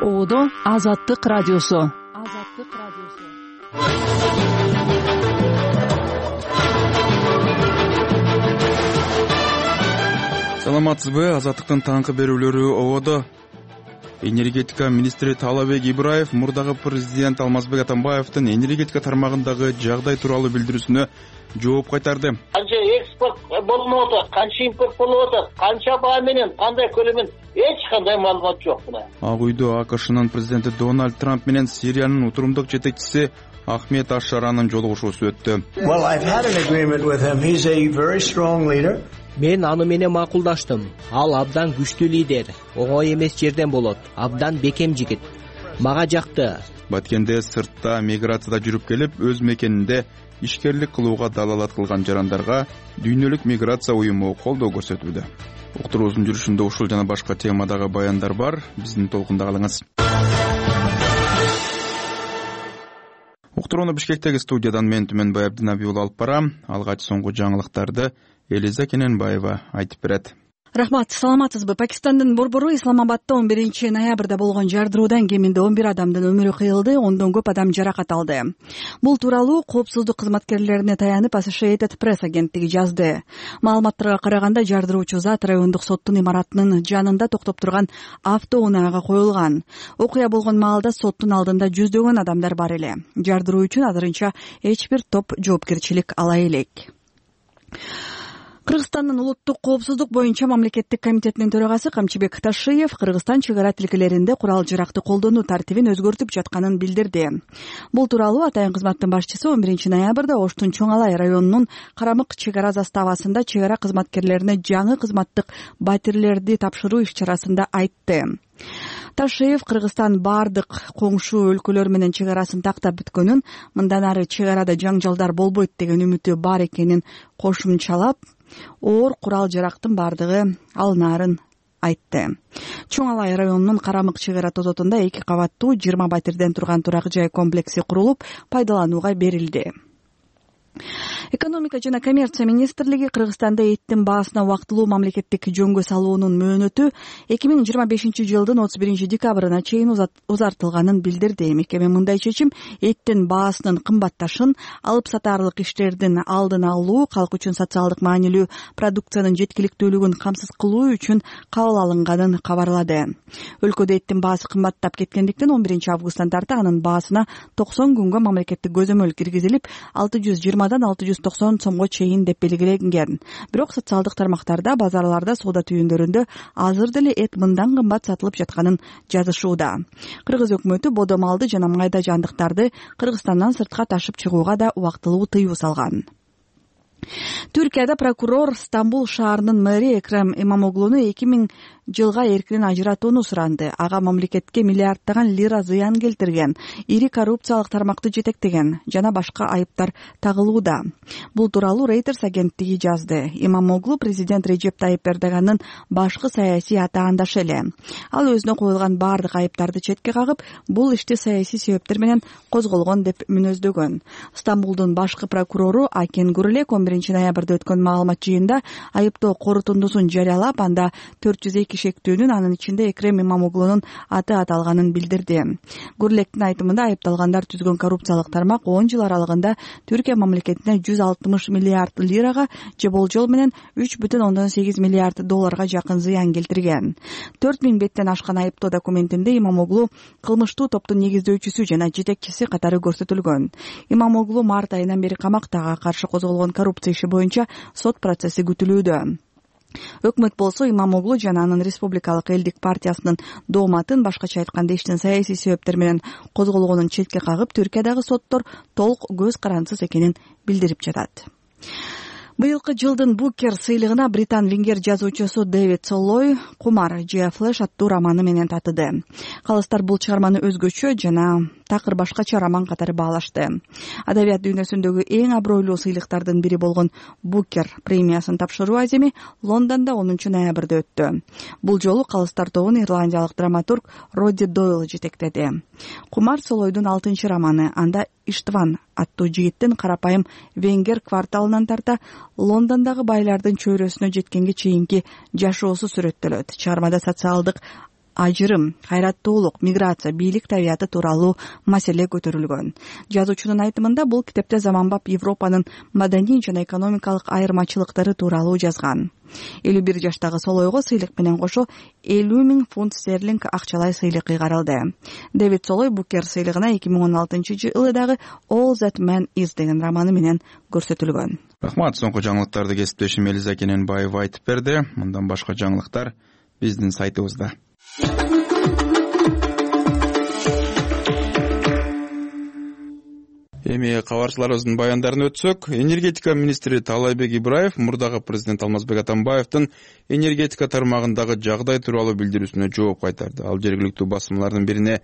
Оодо Азаттык радиосу. Саламатсызбы? Азаттыктын таңкы берүүлөрү Оодо. Энергетика министри Таалабек Ибраев мурдагы президент Алмазбек Атамбаевдин энергетика тармагындагы жагдай тууралуу билдирүүсүнө жооп кайтарды. Канча экспорт болуп атат, канча импорт болуп атат, канча баа менен, кандай көлөмүн эч кандай маалымат жок мына. Ак үйдө АКШнын президенти Дональд Трамп менен Сириянын утурумдук жетекчиси Ахмед Аш-Шаранын жолугушуусу өттү. Мен аны менен макулдаштым. Ал абдан күчтүү лидер, оңой эмес жерден болот, абдан бекем жигит. Мага жакты. Баткенде сыртта миграцияда жүрүп келип, өз мекенинде ишкерлик кылууга далалат кылган жарандарга дүйнөлүк миграция уюму колдоо көрсөтүүдө. Уктуруубуздун жүрүшүндө ушул жана башка темадагы баяндар бар. Биздин толкунда калыңыз. Уктурууну Бишкектеги студиядан мен Түмөнбай Абдинабий уулу алып барам. Алгач соңку жаңылыктарды Элиза Кененбаева айтып берет. Рахмат, саламатсызбы? Пакистандын борбору Исламабадда 11 ноябрда болгон жардыруудан кеминде 11 адамдын өмүрү кыйылды, ондон көп адам жаракат алды. Бул тууралуу коопсуздук кызматкерлерине таянып Associated Press агенттиги жазды. Маалыматтарга караганда жардыруучу зат райондук соттун имаратынын жанында токтоп турган автоунаага коюлган. Окуя болгон маалда соттун алдында жүздөгөн адамдар бар эле. Жардыруу үчүн азырынча эч бир топ жоопкерчилик ала элек. Кыргызстандын улуттук коопсуздук боюнча мамлекеттик комитетинин төрагасы Камчыбек Ташиев Кыргызстан чек ара тилкелеринде курал-жаракты колдонуу тартибин өзгөртүп жатканын билдирди. Бул тууралуу атайын кызматтын башчысы 11 ноябрда Оштун Чоң Алай районунун Карамык чек ара заставасында чек ара кызматкерлерине жаңы кызматтык батирлерди тапшыруу иш-чарасында айтты. Ташиев Кыргызстан бардык коңшу өлкөлөр менен чек арасын тактап бүткөнүн, мындан ары чек арада жаңжалдар болбойт деген үмүтү бар экенин кошумчалап, оор курал-жарактын бардыгы алынаарын айтты. Чоң Алай районунун Карамык чек ара тозотунда 2 кабаттуу 20 батирден турган турак жай комплекси курулуп, пайдаланууга берилди. Экономика жана коммерция министрлиги Кыргызстанда эттин баасына убактылуу мамлекеттик жөнгө салуунун мөөнөтү 2025 жылдын 31 декабрына чейин узартылганын билдирди. Мекеме мындай чечим эттин баасынын кымбатташын, алып сатаарлык иштердин алдын алуу, калк үчүн социалдык маанилүү продукциянын жеткиликтүүлүгүн камсыз кылуу үчүн кабыл алынганын кабарлады. Өлкөдө эттин баасы кымбаттап кеткендиктен 11 августтан тарта анын баасына 90 күнгө мамлекеттик көзөмөл киргизилип, 620дан 690 сомго чейин деп белгиленген. Бирок социалдык тармактарда, базарларда, соода түйүндөрүндө азыр деле эт мындан кымбат сатылып жатканын жазышууда. Кыргыз өкмөтү бодо малды жана майда жандыктарды Кыргызстандан сыртка ташып чыгууга да убактылуу тыюу салган. Түркияда прокурор Стамбул шаарынын мэри Экрем Имамоглуну 2000 жылга эркинен ажыратууну суранды. Ага мамлекетке миллиарддаган лира зыян келтирген, ири коррупциялык тармакты жетектеген жана башка айыптар тагылууда. Бул тууралуу Reuters агенттиги жазды. Имамоглу президент Режеп Тайип Эрдоганын башкы саясий атаандашы эле. Ал өзүнө коюлган бардык айыптарды четке кагып, бул ишти саясий себептер менен козголгон деп мүнөздөгөн. Стамбулдун башкы прокурору Акен Гурлек 11 ноябрда өткөн маалымат жыйында айыптоо корутундусун жарыялап, анда 402 шектүүнүн, анын ичинде Экрем Имамоглунун аты аталганын билдирди. Гурлектин айтымында айыпталгандар түзгөн коррупциялык тармак 10 жыл аралыгында Түркия мамлекетине 160 миллиард лирага же болжол менен 3,8 миллиард долларга жакын зыян келтирген. 4000 беттен ашкан айыптоо документинде Имамоглу кылмыштуу топтун негиздөөчүсү жана жетекчиси катары көрсөтүлгөн. Имамоглу март айынан бери камактага каршы козголгон коррупция иши боюнча сот процесси күтүлүүдө. Өкмөт болсо Имамоглу жана анын Республикалык элдик партиясынын дооматын, башкача айтканда иштин саясий себептер менен козголгонун четке кагып, Түркиядагы соттор толук көз карансыз экенин билдирип жатат. Быйылкы жылдын Букер сыйлыгына британ венгер жазуучусу Дэвид Соллой «Кумар же Флэш» аттуу романы менен татыды. Калыстар бул чыгарманы өзгөчө жана такыр башкача роман катары баалашты. Адабият дүйнөсүндөгү эң абройлуу сыйлыктардын бири болгон Букер премиясын тапшыруу аземи Лондондо 10 ноябрда өттү. Бул жолу калыстар тобун ирландиялык драматург Родди Дойл жетектеди. «Кумар» Солойдун 6 романы. Анда Иштван аттуу жигиттин карапайым венгер кварталынан тарта Лондондогу байлардын чөйрөсүнө жеткенге чейинки жашоосу сүрөттөлөт. Чыгармада социалдык ажырым, кайраттуулук, миграция, бийлик табияты тууралуу маселе көтөрүлгөн. Жазуучунун айтымында бул китепте заманбап Европанын маданий жана экономикалык айырмачылыктары тууралуу жазган. 51 жаштагы Солойго сыйлык менен кошо 50 000 фунт стерлинг акчалай сыйлык кыйгарылды. Дэвид Солой Букер сыйлыгына 2016-жылы дагы All That Man Is деген романы менен көрсөтүлгөн. Рахмат. Соңку жаңылыктарды кесиптешим Элиза Кененбаева айтып берди. Мындан башка жаңылыктар биздин сайтыбызда. Эми кабарчыларыбыздын баяндарын өтсөк, энергетика министри Таалайбек Ибраев мурдагы президент Алмазбек Атамбаевдин энергетика тармагындагы жагдай тууралуу билдирүүсүнө жооп кайтарды. Ал жергиликтүү басылмалардын бирине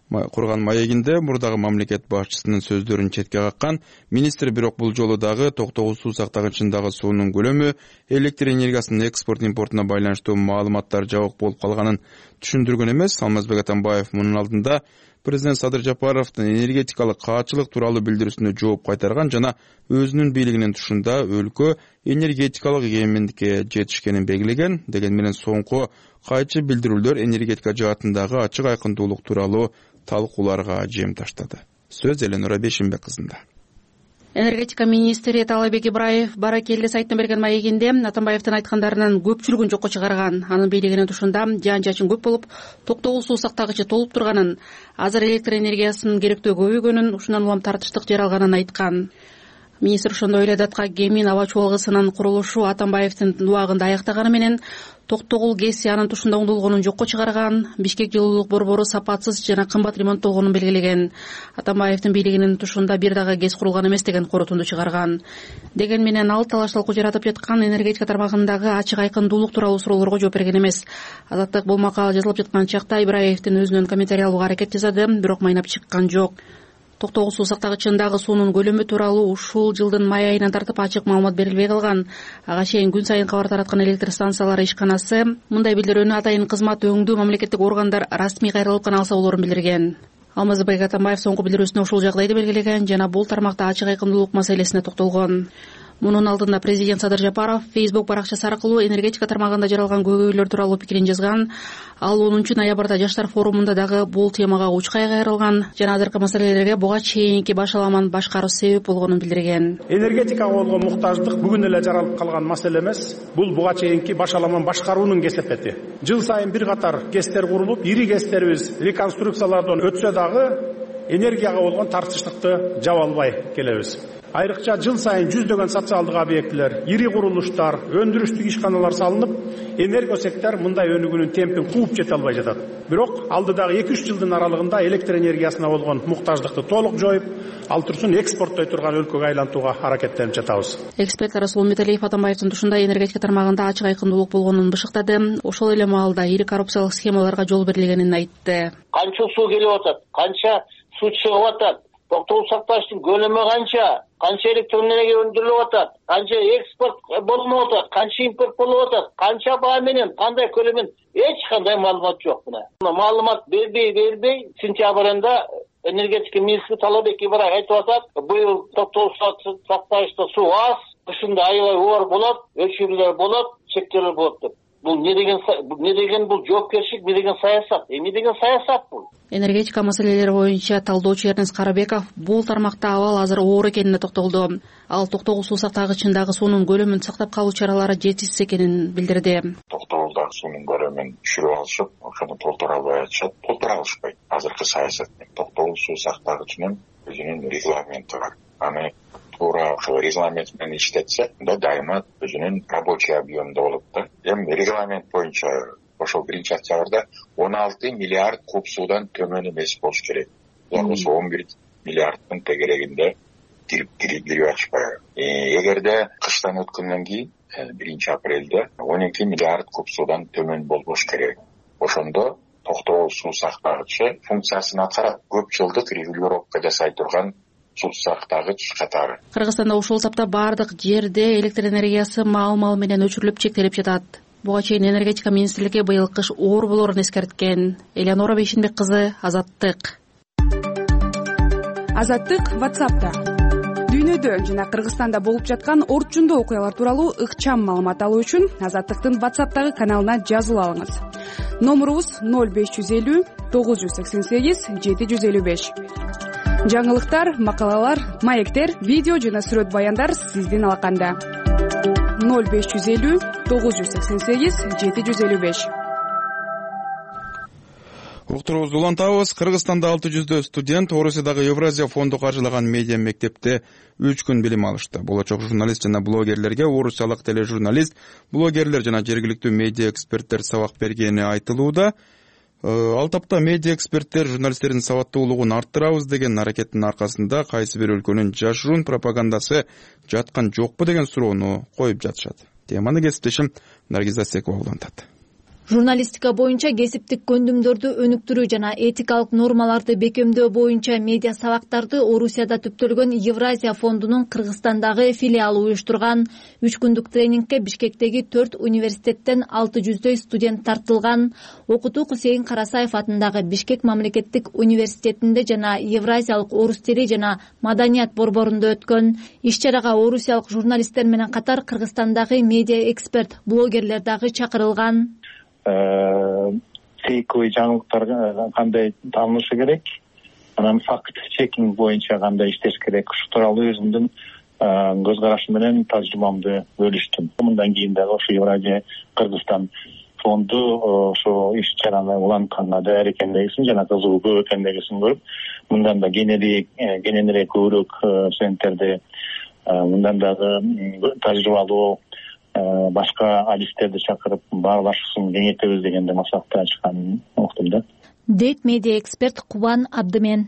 курган маегинде мурдагы мамлекет башчысынын сөздөрүн четке каккан. Министр бирок бул жолу дагы токтогул суу сактагычындагы суунун көлөмү, электр энергиясынын экспорт импортуна байланыштуу маалыматтар жабык болуп калганын түшүндүргөн эмес. Алмазбек Атамбаев мунун алдында президент Садыр Жапаровдун энергетикалык каачылык тууралуу билдирүүсүнө жооп кайтарган жана өзүнүн бийлигинин тушунда өлкө энергетикалык эгемендикке жетишкенин белгилеген. Деген менен соңку кайчы билдирүүлөр энергетика жаатындагы ачык айкындуулук тууралуу талкууларга жем таштады. Сөз Эленора Бешимбек кызында. Энергетика министри Таалайбек Ибраев Баракелде сайтына берген маегинде Атамбаевдин айткандарынын көпчүлүгүн жокко чыгарган. Анын бийлигинин тушунда жаан-жачын көп болуп, токтогул суу сактагычы толуп турганын, азыр электр энергиясынын керектөө көбөйгөнүн, ушундан улам тартыштык жер алганын айткан. Министр ошондой эле датка Гемин аба чуалгысынын курулушу Атамбаевдин убагында аяктаганы менен токтогул ГЭСи анын тушунда оңдолгонун жокко чыгарган, Бишкек жылуулук борбору сапатсыз жана кымбат ремонттолгонун белгилеген. Атамбаевдин бийлигинин тушунда бир дагы ГЭС курулган эмес деген корутунду чыгарган. Деген менен ал талаш-талкуу жаратып жаткан энергетика тармагындагы ачык айкындуулук тууралуу суроолорго жооп берген эмес. Азаттык бул макала жазылып жаткан чакта Ибраевдин өзүнөн комментарий алууга аракет жасады, бирок майнап чыккан жок. Токтогул суу сактагычындагы суунун көлөмү тууралуу ушул жылдын май айынан тартып ачык маалымат берилбей калган. Ага чейин күн сайын кабар тараткан электр станциялары ишканасы мындай билдирүүнү атайын кызмат өңдүү мамлекеттик органдар расмий кайрылып гана алса болорун билдирген. Алмазбек Атамбаев соңку билдирүүсүндө ушул жагдайды белгилеген жана бул тармакта ачык айкындуулук маселесине токтолгон. Мунун алдында президент Садыр Жапаров Facebook баракчасы аркылуу энергетика тармагында жаралган көйгөйлөр тууралуу пикирин жазган. Ал 10 ноябрда жаштар форумунда дагы бул темага учкай кайрылган жана азыркы маселелерге буга чейинки башаламан башкаруу себеп болгонун билдирген. Энергетикага болгон муктаждык бүгүн эле жаралып калган маселе эмес, бул буга чейинки башаламан башкаруунун кесепети. Жыл сайын бир катар ГЭСтер курулуп, ири ГЭСтерибиз реконструкциялардан өтсө дагы энергияга болгон тартыштыкты жаба албай келебиз. Айрыкча жыл сайын жүздөгөн социалдык объектилер, ири курулуштар, өндүрүштүк ишканалар салынып, энергия сектор мындай өнүгүүнүн темпин кууп жете албай жатат. Бирок алдыдагы 2-3 жылдын аралыгында электр энергиясына болгон муктаждыкты толук жоюп, ал турсун экспорттой турган өлкөгө айлантууга аракеттенип жатабыз. Эксперт Расул Металиев Атамбаевдин тушунда энергетика тармагында ачык айкындуулук болгонун бышыктады. Ошол эле маалда ири коррупциялык схемаларга жол берилгенин айтты. Канча суу келип атат, канча суу чыгып атат, токтогул сактагычтын көлөмү канча электр энергия өндүрүлүп атат, канча экспорт болуп атат, канча импорт болуп атат, канча баа менен, кандай көлөмүн эч кандай маалымат жок. Мына маалымат бербей сентябрь айында энергетика министри Таалайбек Ибраев айтып атат, быйыл токтогул сактагычта суу аз, кышында аябай оор болот, өчүрүүлөр болот, чектелер болот деп. Бул не деген бул жоопкерчилик, не деген саясат? Эмне деген саясат бул? Энергетика маселелери боюнча талдоочу Эрнест Карабеков бул тармакта абал азыр оор экенине токтолду. Ал токтогул суу сактагычындагы суунун көлөмүн сактап калуу чаралары жетишсиз экенин билдирди. Токтогулдагы суунун көлөмүн түшүрүп алышып, ошону толтура албай атышат, толтура алышпайт. Азыркы саясат токтогул суу сактагычынын өзүнүн регламенти бар. Аны туура ошол регламент менен иштетсе, анда дайыма өзүнүн рабочий объемунда болот да. Эми регламент боюнча ошол 1-октябрда 16 миллиард куб суудан төмөн эмес болуш керек. Булар болсо 11 миллиарддын тегерегинде кирип ачпайбы. Эгерде кыштан өткөндөн кийин 1-апрелде 12 миллиард куб суудан төмөн болбош керек. Ошондо токтогул суу сактагычы функциясын аткарат. Көп жылдык регулировка жасай турган суу сактагыч катары. Кыргызстанда ушул тапта бардык жерде электр энергиясы маал менен өчүрүлүп чектелип жатат. Буга чейин энергетика министрлиги быйыл кыш оор болорун эскерткен. Эленора Бейшинбек кызы, Азаттык. Азаттык WhatsApp'та. Дүйнөдө жана Кыргызстанда болуп жаткан орчундуу окуялар тууралуу ыкчам маалымат алуу үчүн Азаттыктын WhatsApp'тагы каналына жазылып алыңыз. номурубуз 0550-988-755. Жаңылыктар, макалалар, маектер, видео жана сүрөт баяндар сиздин алаканда. 0550-988-755. Уктуруубузду улантабыз. Кыргызстанда 600 студент Орусиядагы Евразия фонду каржылаган медиа мектепте 3 күн билим алышты. Болочок журналист жана блогерлерге орусиялык тележурналист, блогерлер жана жергиликтүү медиа эксперттер сабак бергени айтылууда. Ал тапта медиа эксперттер журналисттердин сабаттуулугун арттырабыз деген аракеттин аркасында кайсы бир өлкөнүн жашыруун пропагандасы жаткан жокпу деген суроону коюп жатышат. Теманы кесиптешим Наргиза Секова улантат. Журналистика боюнча кесиптик көндүмдөрдү өнүктүрүү жана этикалык нормаларды бекемдөө боюнча медиа сабактарды Орусияда түптөлгөн Евразия фондунун Кыргызстандагы филиалы уюштурган. 3 күндүк тренингке Бишкектеги 4 университеттен 600 студент тартылган. Окутуу Кусейин Карасаев атындагы Бишкек мамлекеттик университетинде жана Евразиялык орус тили жана маданият борборунда өткөн. Иш-чарага орусиялык журналисттер менен катар Кыргызстандагы медиа эксперт, блогерлер дагы чакырылган. Фейковый жаңылыктар кандай таанылышы керек, анан факт чекинг боюнча кандай иштеш керек, ушу тууралуу өзүмдүн көз карашым менен тажрыйбамды бөлүштүм. Мындан кийин дагы ошо Евразия Кыргызстан фонду ошо иш-чараны улантканга даяр экендигин жана кызыгуу экендигин көрүп, мындан да кененирээк көбүрөөк студенттерди, мындан дагы тажрыйбалуу башка адистерди чакырып баарлашсын кеңейтебиз дегенде максатта ачканын уктум да, дейт медиа эксперт Кубан Абдымен.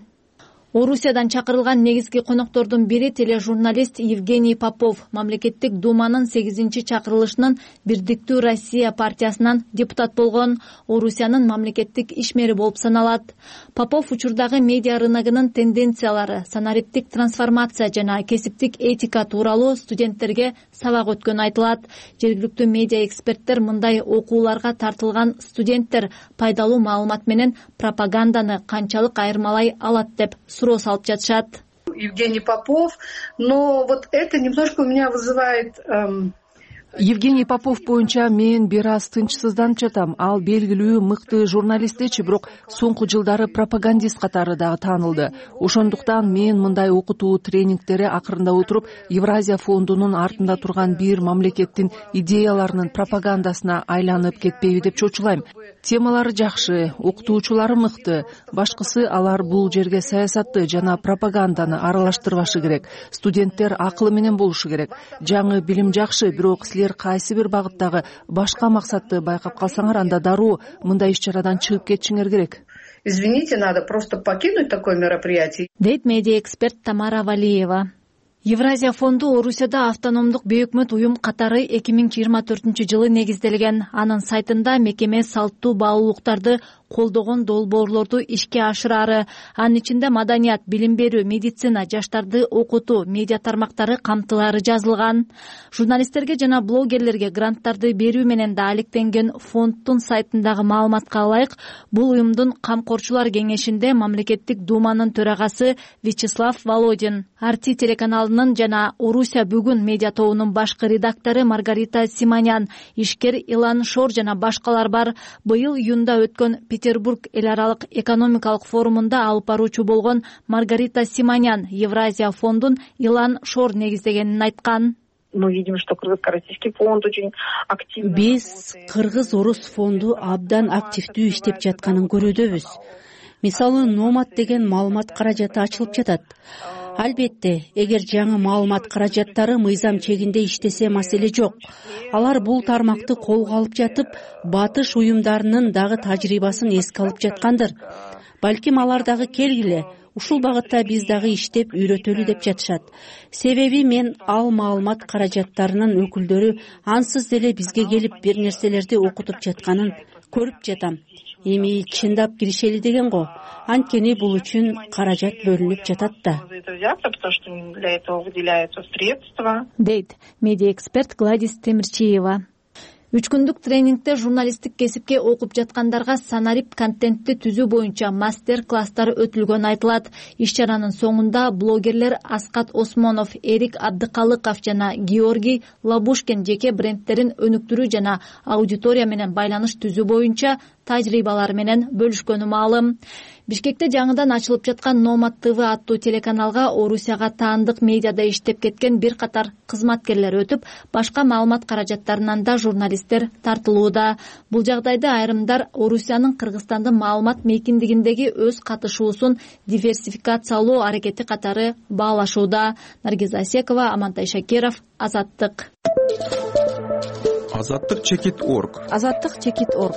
Орусиядан чакырылган негизги коноктордун бири тележурналист Евгений Попов, мамлекеттик думанын 8-чи чакырылышынын Бирдиктүү Россия партиясынан депутат болгон, Орусиянын мамлекеттик ишмери болуп саналат. Попов учурдагы медиа рыногунун тенденциялары, санариптик трансформация жана кесиптик этика тууралуу студенттерге сабак өткөнү айтылат. Жергиликтүү медиа эксперттер мындай окууларга тартылган студенттер пайдалуу маалымат менен пропаганданы канчалык айырмалай алат деп суроо салып жатышат. Евгений Попов, но вот это немножко у меня вызывает... Евгений Попов боюнча мен бир аз тынчсызданып жатам. Ал белгилүү мыкты журналистчи, бирок соңку жылдары пропагандист катары дагы таанылды. Ошондуктан мен мындай окутуу тренингтери акырындап отуруп, Евразия фондунун артында турган бир мамлекеттин идеяларынын пропагандасына айланып кетпейби деп чочулайм. Темалары жакшы, окутуучулары мыкты. Башкысы алар бул жерге саясатты жана пропаганданы аралаштырбашы керек. Студенттер акылы менен болушу керек. Жаңы билим жакшы, бирок силер кайсы бир багыттагы башка максатты байкап калсаңар, анда дароо мындай иш-чарадан чыгып кетишиңер керек. Извините, надо просто покинуть такое мероприятие. Дейт медиа эксперт Тамара Валиева. Евразия фонду Орусияда автономдук бейөкмөт уюм катары 2024-жылы негизделген. Анын сайтында мекеме салттуу баалуулуктарды колдогон долбоорлорду ишке ашырары, анын ичинде маданият, билим берүү, медицина, жаштарды окутуу, медиа тармактары камтылары жазылган. Журналисттерге жана блогерлерге гранттарды берүү менен да алектенген фонддун сайтындагы маалыматка ылайык, бул уюмдун камкорчулар кеңешинде мамлекеттик думанын төрагасы Вячеслав Володин, Арти телеканалынын жана Орусия бүгүн медиа тобунун башкы редактору Маргарита Симанян, ишкер Илан Шор жана башкалар бар. Быйыл июнда өткөн Петербург эл аралык экономикалык форумунда алып баруучу болгон Маргарита Симанян Евразия фондун Илан Шор негиздегенин айткан. Мы видим, что Кыргыз-Российский фонд очень активно. Биз Кыргыз-Орус фонду абдан активдүү иштеп жатканын көрүүдөбүз. Мисалы, Номад деген маалымат каражаты ачылып жатат. Албетте, эгер жаңы маалымат каражаттары мыйзам чегинде иштесе маселе жок. Алар бул тармакты колго алып жатып, батыш уюмдарынын дагы тажрыйбасын эске алып жаткандыр. Балким алар дагы келгиле, ушул багытта биз дагы иштеп үйрөтөлү деп жатышат. Себеби мен ал маалымат каражаттарынын өкүлдөрү ансыз деле бизге келип бир нерселерди окутуп жатканын көрүп жатам. Эми чындап киришели деген го. Анткени бул үчүн каражат бөлүнүп жатат да. Дейт медиа эксперт Гладис Темирчиева. 3 күндүк тренингте журналисттик кесипке окуп жаткандарга санарип контентти түзүү боюнча мастер-класстар өтүлгөнү айтылат. Иш-чаранын соңунда блогерлер Аскат Осмонов, Эрик Абдыкалыков жана Георгий Лабушкин жеке брендтерин өнүктүрүү жана аудитория менен байланыш түзүү боюнча тажрыйбалары менен бөлүшкөнү маалым. Бишкекте жаңыдан ачылып жаткан Номад ТВ аттуу телеканалга Орусияга таандык медиада иштеп кеткен бир катар кызматкерлер өтүп, башка маалымат каражаттарынан да журналисттер тартылууда. Бул жагдайда айрымдар Орусиянын Кыргызстандын маалымат мейкиндигиндеги өз катышуусун диверсификациялоо аракети катары баалашууда. Наргиза Асекова, Амантай Шакиров, Азаттык. Азаттык.org. Азаттык.org.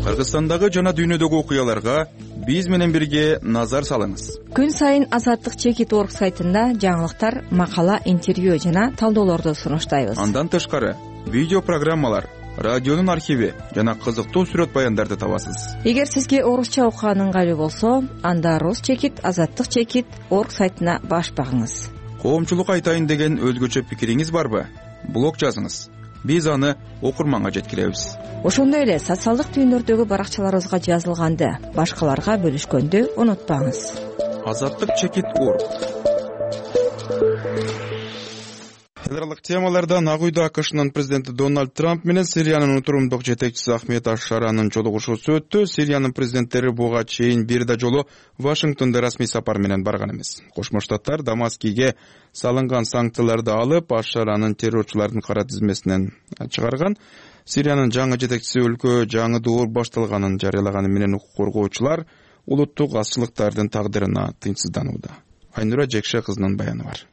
Кыргызстандагы жана дүйнөдөгү окуяларга биз менен бирге назар салыңыз. Күн сайын Азаттык.org сайтында жаңылыктар, макала, интервью жана талдоолорду сунуштайбыз. Андан тышкары видео программалар, радионун архиви жана кызыктуу сүрөт баяндарды табасыз. Эгер сизге орусча окуган ыңгайлуу болсо, анда rus.azаттык.org сайтына баш багыңыз. Коомчулукка айтайын деген өзгөчө пикириңиз барбы? Блог жазыңыз. Биз аны окурманга жеткиребиз. Ошондой эле социалдык түйүндөрдөгү баракчаларыбызга жазылганды башкаларга бөлүшкөндү унутпаңыз. Азаттык.org. Эл аралык темалардан Ак үйдө АКШнын президенти Дональд Трамп менен Сириянын утурумдук жетекчиси Ахмед Аш-Шаранын жолугушуусу өттү. Сириянын президенттери буга чейин бир да жолу Вашингтонго расмий сапар менен барган эмес. Кошмо Штаттар Дамаскиге салынган санкцияларды алып, Аш-Шаранын террорчулардын кара тизмесинен чыгарган. Сириянын жаңы жетекчиси өлкө жаңы доор башталганын жарыялаганы менен укук коргоочулар улуттук азчылыктардын тагдырына тынчсызданууда. Айнура Жекше кызынын баяны бар.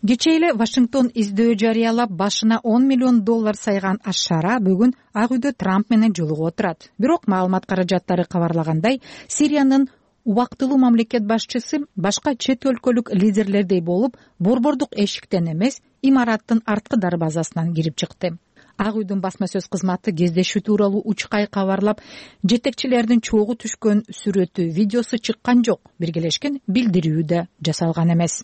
Кечээ эле Вашингтон издөө жарыялап, башына $10 миллион сайган Аш-Шара бүгүн Ак үйдө Трамп менен жолугуп отурат. Бирок маалымат каражаттары кабарлагандай, Сириянын убактылуу мамлекет башчысы башка чет өлкөлүк лидерлердей болуп, борбордук эшиктен эмес, имараттын арткы дарбазасынан кирип чыкты. Ак үйдүн басма сөз кызматы кездешүү тууралуу учкай кабарлап, жетекчилердин чогуу түшкөн сүрөтү, видеосу чыккан жок, биргелешкен билдирүү да жасалган эмес.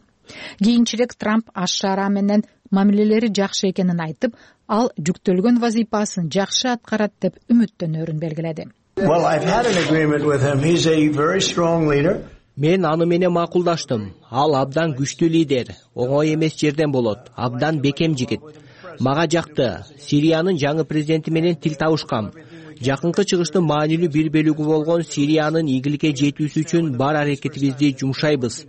Кийинчерээк Трамп Аш-Шара менен мамилелери жакшы экенин айтып, ал жүктөлгөн вазифасын жакшы аткарат деп үмүттөнөрүн белгиледи. Мен аны менен макулдаштым. Ал абдан күчтүү лидер, оңой эмес жерден болот, абдан бекем жигит. Мага жакты. Сириянын жаңы президенти менен тил табышкам. Жакынкы чыгыштын маанилүү бир бөлүгү болгон Сириянын ийгиликке жетүүсү үчүн бар аракетибизди жумшайбыз.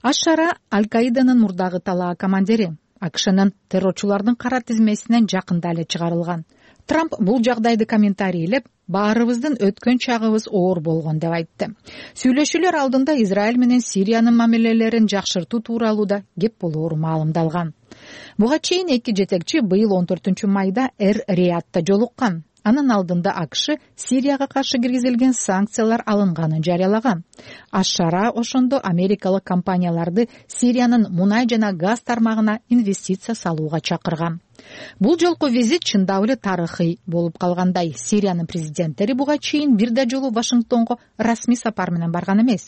Аш-Шара Аль-Каиданын мурдагы талаа командири. АКШнын террорчулардын кара тизмесинен жакында эле чыгарылган. Трамп бул жагдайды комментарийлеп, баарыбыздын өткөн чагыбыз оор болгон деп айтты. Сүйлөшүүлөр алдында Израиль менен Сириянын мамилелерин жакшыртуу тууралуу да кеп болоору маалымдалган. Буга чейин эки жетекчи быйыл 14-майда Эр-Риядта жолуккан. Анын алдында АКШ Сирияга каршы киргизилген санкциялар алынганын жарыялаган. Аш-Шара ошондо америкалык компанияларды Сириянын мунай жана газ тармагына инвестиция салууга чакырган. Бул жолку визит чындап эле тарыхый болуп калгандай. Сириянын президенттери буга чейин бир да жолу Вашингтонго расмий сапар менен барган эмес.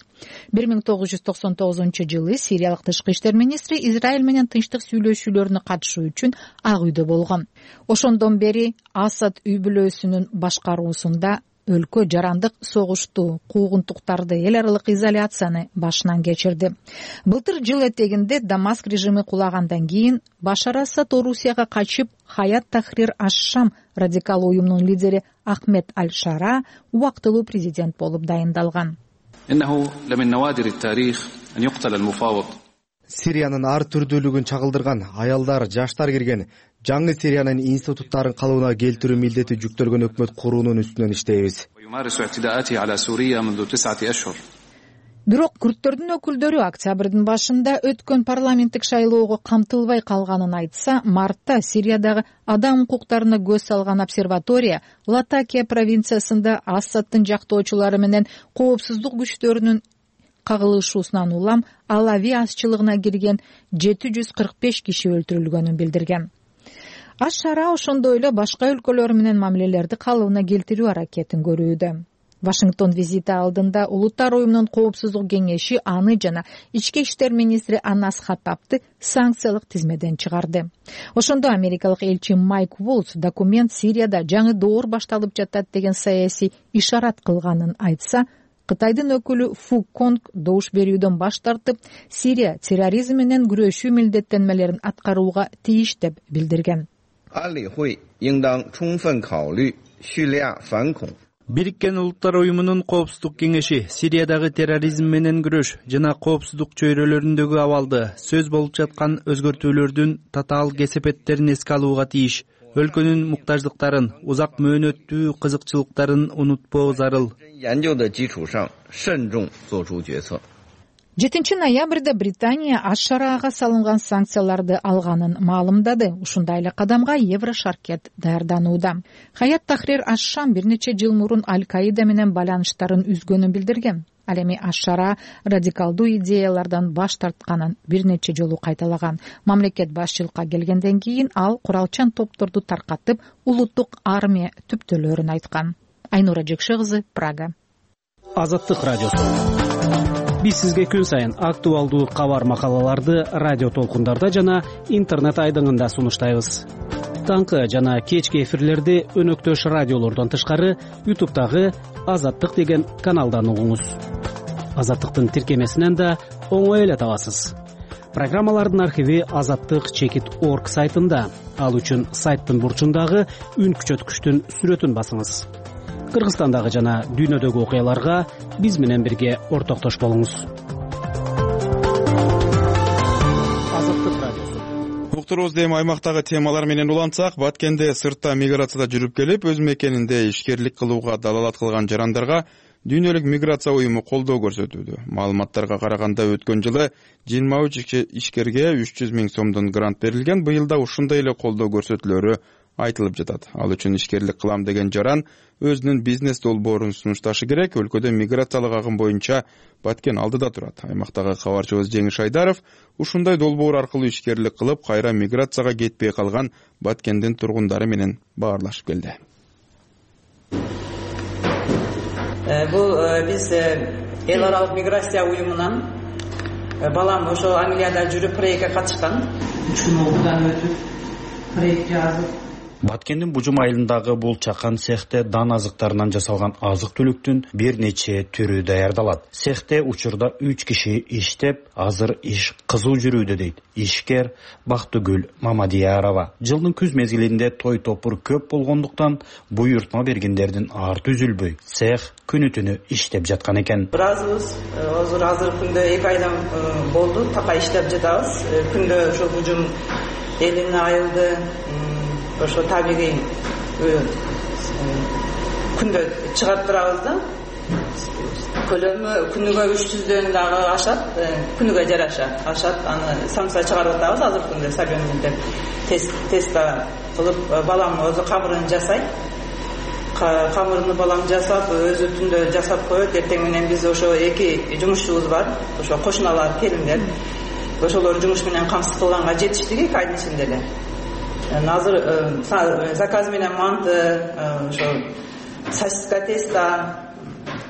1999-жылы Сириялык тышкы иштер министри Израиль менен тынчтык сүйлөшүүлөрүнө катышуу үчүн Ак үйдө болгон. Ошондон бери Асад үй бүлөсүнүн башкаруусунда өлкө жарандык согушту, куугунтуктарды, эл аралык изоляцияны башынан кечирди. Былтыр жыл этегинде Дамаск режими кулагандан кийин Башар Асад Орусияга качып, Хаят Тахрир аш-Шам радикал уюмунун лидери Ахмед Аль-Шара убактылуу президент болуп дайындалган. Сириянын ар түрдүүлүгүн чагылдырган аялдар, жаштар кирген жаңы Сириянын институттарын калыбына келтирүү милдети жүктөлгөн өкмөт куруунун үстүнөн иштейбиз. Бирок күрттөрдүн өкүлдөрү октябрдын башында өткөн парламенттик шайлоого камтылбай калганын айтса, мартта Сириядагы адам укуктарына көз салган обсерватория Латакия провинциясында Асадтын жактоочулары менен коопсуздук күчтөрүнүн кагылышуусунан улам Алави азчылыгына кирген 745 киши өлтүрүлгөнүн билдирген. Аш-Шара ошондой эле башка өлкөлөр менен мамилелерди калыбына келтирүү аракетин көрүүдө. Вашингтон визити алдында Улуттар уюмунун коопсуздук кеңеши аны жана ички иштер министри Анас Хаттабты санкциялык тизмеден чыгарды. Ошондо америкалык элчи Майк Волц документ Сирияда жаңы доор башталып жатат деген саясий ишарат кылганын айтса, Кытайдын өкүлү Фу Конг добуш берүүдөн баш тартып, Сирия терроризм менен күрөшүү милдеттенмелерин аткарууга тийиш деп билдирген. Бириккен Улуттар уюмунун Коопсуздук кеңеши Сириядагы терроризм менен күрөш жана коопсуздук чөйрөлөрүндөгү абалды, сөз болуп жаткан өзгөртүүлөрдүн татаал кесепеттерин эске алууга тийиш. Өлкөнүн муктаждыктарын, узак мөөнөттүү кызыкчылыктарын унутпоо зарыл. 7 ноябрда Британия Аш-Шараага салынган санкцияларды алганын маалымдады. Ушундай эле кадамга Еврошаркет даярданууда. Хаят Тахрир Аш-Шам бир нече жыл мурун Аль-Каида менен байланыштарын үзгөнүн билдирген. Ал эми Аш-Шараа радикалдуу идеялардан баш тартканын бир нече жолу кайталаган. Мамлекет башчылыкка келгенден кийин ал куралчан топторду таркатып, улуттук армия түптөлөрүн айткан. Айнура Жекше кызы, Прага. Азаттык радиосу. Биз сизге күн сайын актуалдуу кабар макалаларды радио толкундарда жана интернет айдыңында сунуштайбыз. Таңкы жана кечки эфирлерди өнөктөш радиолордон тышкары YouTube'дагы Азаттык деген каналдан угуңуз. Азаттыктын тиркемесинен да оңой эле табасыз. Программалардын архиви azattik.org сайтында. Ал үчүн сайттын бурчундагы үн күчөткүчтүн сүрөтүн басыңыз. Кыргызстандагы жана дүйнөдөгү окуяларга биз менен бирге ортоктош болуңуз. Азаттык радиосу. Уктурубузда эми аймактагы темалар менен улантсак, Баткенде сыртта миграцияда жүрүп келип, өз мекенинде ишкерлик кылууга далалат кылган жарандарга Дүйнөлүк миграция уюму колдоо көрсөтүүдө. Маалыматтарга караганда өткөн жылы 23 ишкерге 300 000 сомдон грант берилген. Быйыл да ушундай эле колдоо көрсөтүүлөрү айтылып жатат. Ал үчүн ишкерлик кылам деген жаран өзүнүн бизнес долбоорун сунушташы керек. Өлкөдө миграциялык агым боюнча Баткен алдыда турат. Аймактагы кабарчыбыз Жеңиш Айдаров ушундай долбоор аркылуу ишкерлик кылып, кайра миграцияга кетпей калган Баткендин тургундары менен баарлашып келди. Бул биз эл аралык миграция уюмунан балам ошо Англияда жүрүп проектке катышкан. 3 күн окуудан өтүп проект жазып. Баткендин Бужум айылындагы бул чакан цехте дан азыктарынан жасалган азык-түлүктүн бир нече түрү даярдалат. Цехте учурда 3 киши иштеп, азыр иш кызуу жүрүүдө дейт ишкер Бактыгүл Мамадиярова. Жылдын күз мезгилинде той топур көп болгондуктан буйртма бергендердин арты үзүлбөй, цех күнү-түнү иштеп жаткан экен. Биразыбыз азыр күндө 2 айдан болду, така иштеп жатабыз. Күндө ошо Бужум элине айылды ошо табигый күндө чыгарып турабыз да. Көлөмү күнүгө 300дөн дагы ашат, күнүгө жараша ашат. Аны самса чыгарып атабыз азыр күндө сабенде теста кылып, балам өзү камырын жасайт. Камырын балам жасап, өзү түндө жасап коет. Эртең менен биз ошо 2 жумушчубуз бар, ошо кошуналар, келиндер. Ошолор жумуш менен камсыз кылганга жетиштик 2 айдын ичинде эле. Азыр заказ менен манты, ошо сосиска теста,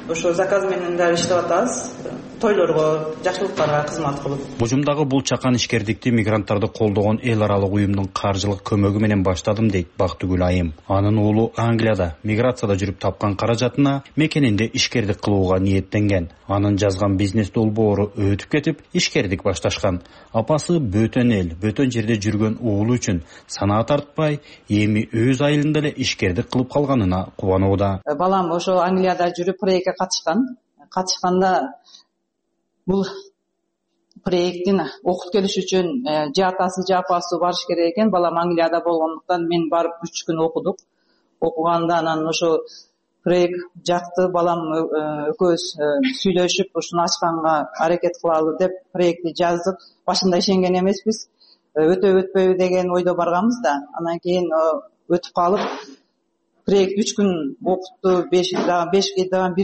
ошо заказ менен да иштеп атабыз. Тойлорго, жакшылыктарга кызмат кылып. Бужумдагы бул чакан ишкердикти мигранттарды колдогон эл аралык уюмдун каржылык көмөгү менен баштадым дейт Бактыгүл айым. Анын уулу Англияда миграцияда жүрүп тапкан каражатына мекенинде ишкердик кылууга ниеттенген. Анын жазган бизнес долбоору өтүп кетип, ишкердик башташкан. Апасы бөтөн эл, бөтөн жерде жүргөн уулу үчүн санаа тартпай, эми өз айылында эле ишкердик кылып калганына кубанууда. Балам ошо Англияда жүрүп проектке катышканда бул проекттин окуп келиш үчүн же атасы же апасы барыш керек экен. Балам Англияда болгондуктан мен барып 3 күн окудук. Окуганда анан ошо проект жакты, балам экөөбүз сүйлөшүп ушуну ачканга аракет кылалы деп проектти жаздык. Башында ишенген эмеспиз. Өтөбү деген ойдо барганбыз да. Анан кийин өтүп калып проект 3 күн окутту, 5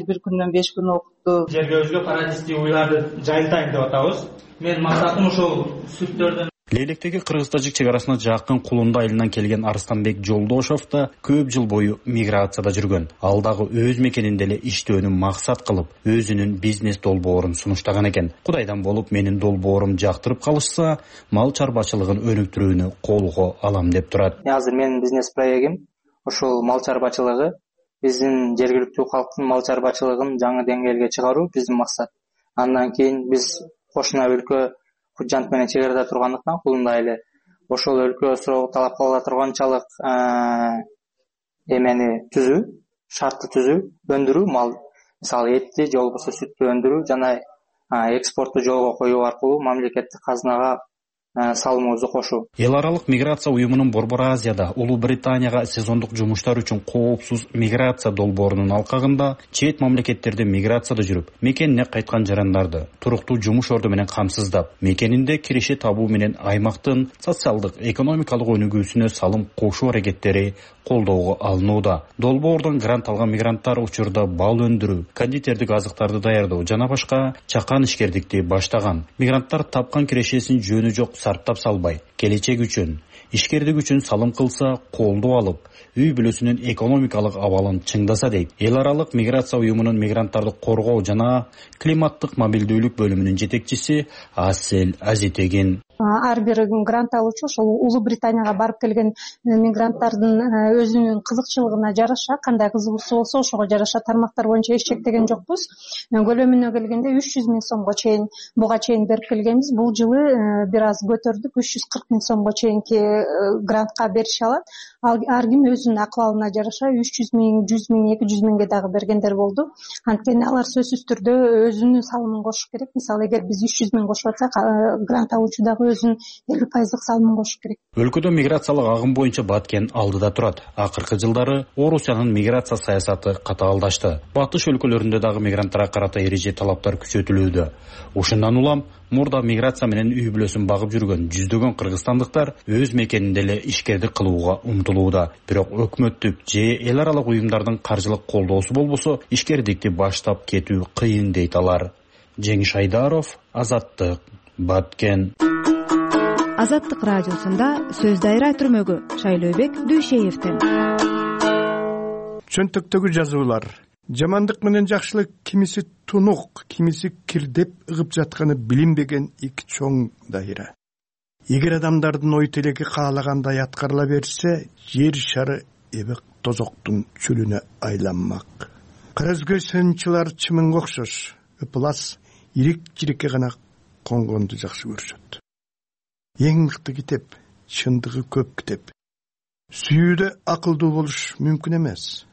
бир күндөн 5 күн окутту. Жерге өзгө парадистик уйларды жайылтайын деп атабыз. Мен максатым ошол сүттөрдөн. Лейлектеги Кыргыз-Тажик чек арасына жакын Кулунду айылынан келген Арстанбек Жолдошов да көп жыл бою миграцияда жүргөн. Ал дагы өз мекенинде эле иштөөнү максат кылып, өзүнүн бизнес долбоорун сунуштаган экен. Кудайдан болуп менин долбоорум жактырып калышса, мал чарбачылыгын өнүктүрүүнү колго алам деп турат. Азыр менин бизнес проектим ошол мал чарбачылыгы. биздин жергиликтүү калктын мал чарбачылыгын жаңы деңгээлге чыгаруу биздин максат. Андан кийин биз кошуна өлкө Кужант менен чек арада тургандыктан кулунда эле ошол өлкө суроо талап кыла турганчалык эмени түзүү, шартты түзүү, өндүрүү, мал мисалы этти же болбосо сүттү өндүрүү жана экспортту жолго коюу аркылуу мамлекеттик казынага салымыбызды кошуу. Эл аралык миграция уюмунун Борбор Азияда Улуу Британияга сезондук жумуштар үчүн коопсуз миграция долбоорунун алкагында чет мамлекеттерде миграцияда жүрүп, мекенине кайткан жарандарды туруктуу жумуш орду менен камсыздап, мекенинде киреше табуу менен аймактын социалдык, экономикалык өнүгүүсүнө салым кошуу аракеттери колдоого алынууда. Долбоордон грант алган мигранттар учурда бал өндүрүү, кондитердик азыктарды даярдоо жана башка чакан ишкердикти баштаган. Мигранттар тапкан кирешесин жөнү жок сарптап салбай, келечек үчүн, ишкердик үчүн салым кылса, колдоо алып, үй бүлөсүнүн экономикалык абалын чыңдаса дейт. Эл аралык миграция уюмунун мигранттарды коргоо жана климаттык мобилдүүлүк бөлүмүнүн жетекчиси Асель Азитегин. Ар бир грант алуучу ошол Улуу Британияга барып келген мигранттардын өзүнүн кызыкчылыгына жараша, кандай кызыгуусу болсо ошого жараша тармактар боюнча эч чектеген жокпуз. Көлөмүнө келгенде 300 000 сомго чейин буга чейин берип келгенбиз. Бул жылы бир аз көтөрдүк, 340 000 сомго чейинки грантка берише алат. Ар ким өзүнүн акыбалына жараша 300 000, 100 000, 200 000ге дагы бергендер болду. Анткени алар сөзсүз түрдө өзүнүн салымын кошуш керек. Мисалы эгер биз 300 000 кошуп атсак, грант алуучу дагы өзүнүн 50% салымын кошуш керек. Өлкөдө миграциялык агым боюнча Баткен алдыда турат. Акыркы жылдары Орусиянын миграция саясаты катаалдашты. Батыш өлкөлөрүндө дагы мигранттарга карата эреже талаптар күчөтүлүүдө. Ушундан улам мурда миграция менен үй бүлөсүн багып жүргөн жүздөгөн кыргызстандыктар өз мекенинде эле ишкердик кылууга умтулууда. Бирок өкмөттүк же эл аралык уюмдардын каржылык колдоосу болбосо ишкердикти баштап кетүү кыйын дейт алар. Жеңиш Айдаров, Азаттык, Баткен. Азаттык радиосунда сөз дайра түрмөгү Шайлообек Дүйшеевден. Чөнтөктөгү жазуулар. Жамандык менен жакшылык кимиси тунук, кимиси кирдеп ыгып жатканы билинбеген эки чоң дайра. Эгер адамдардын ой тилеки каалагандай аткарыла берсе, жер шары эбек тозоктун чүлүнө айланмак. Кара өзгө сынчылар чымынга окшош, ыплас, ирик-жирикке гана конгонду жакшы көрүшөт. Эң мыкты китеп, чындыгы көп китеп. Сүйүүдө акылдуу болуш мүмкүн эмес.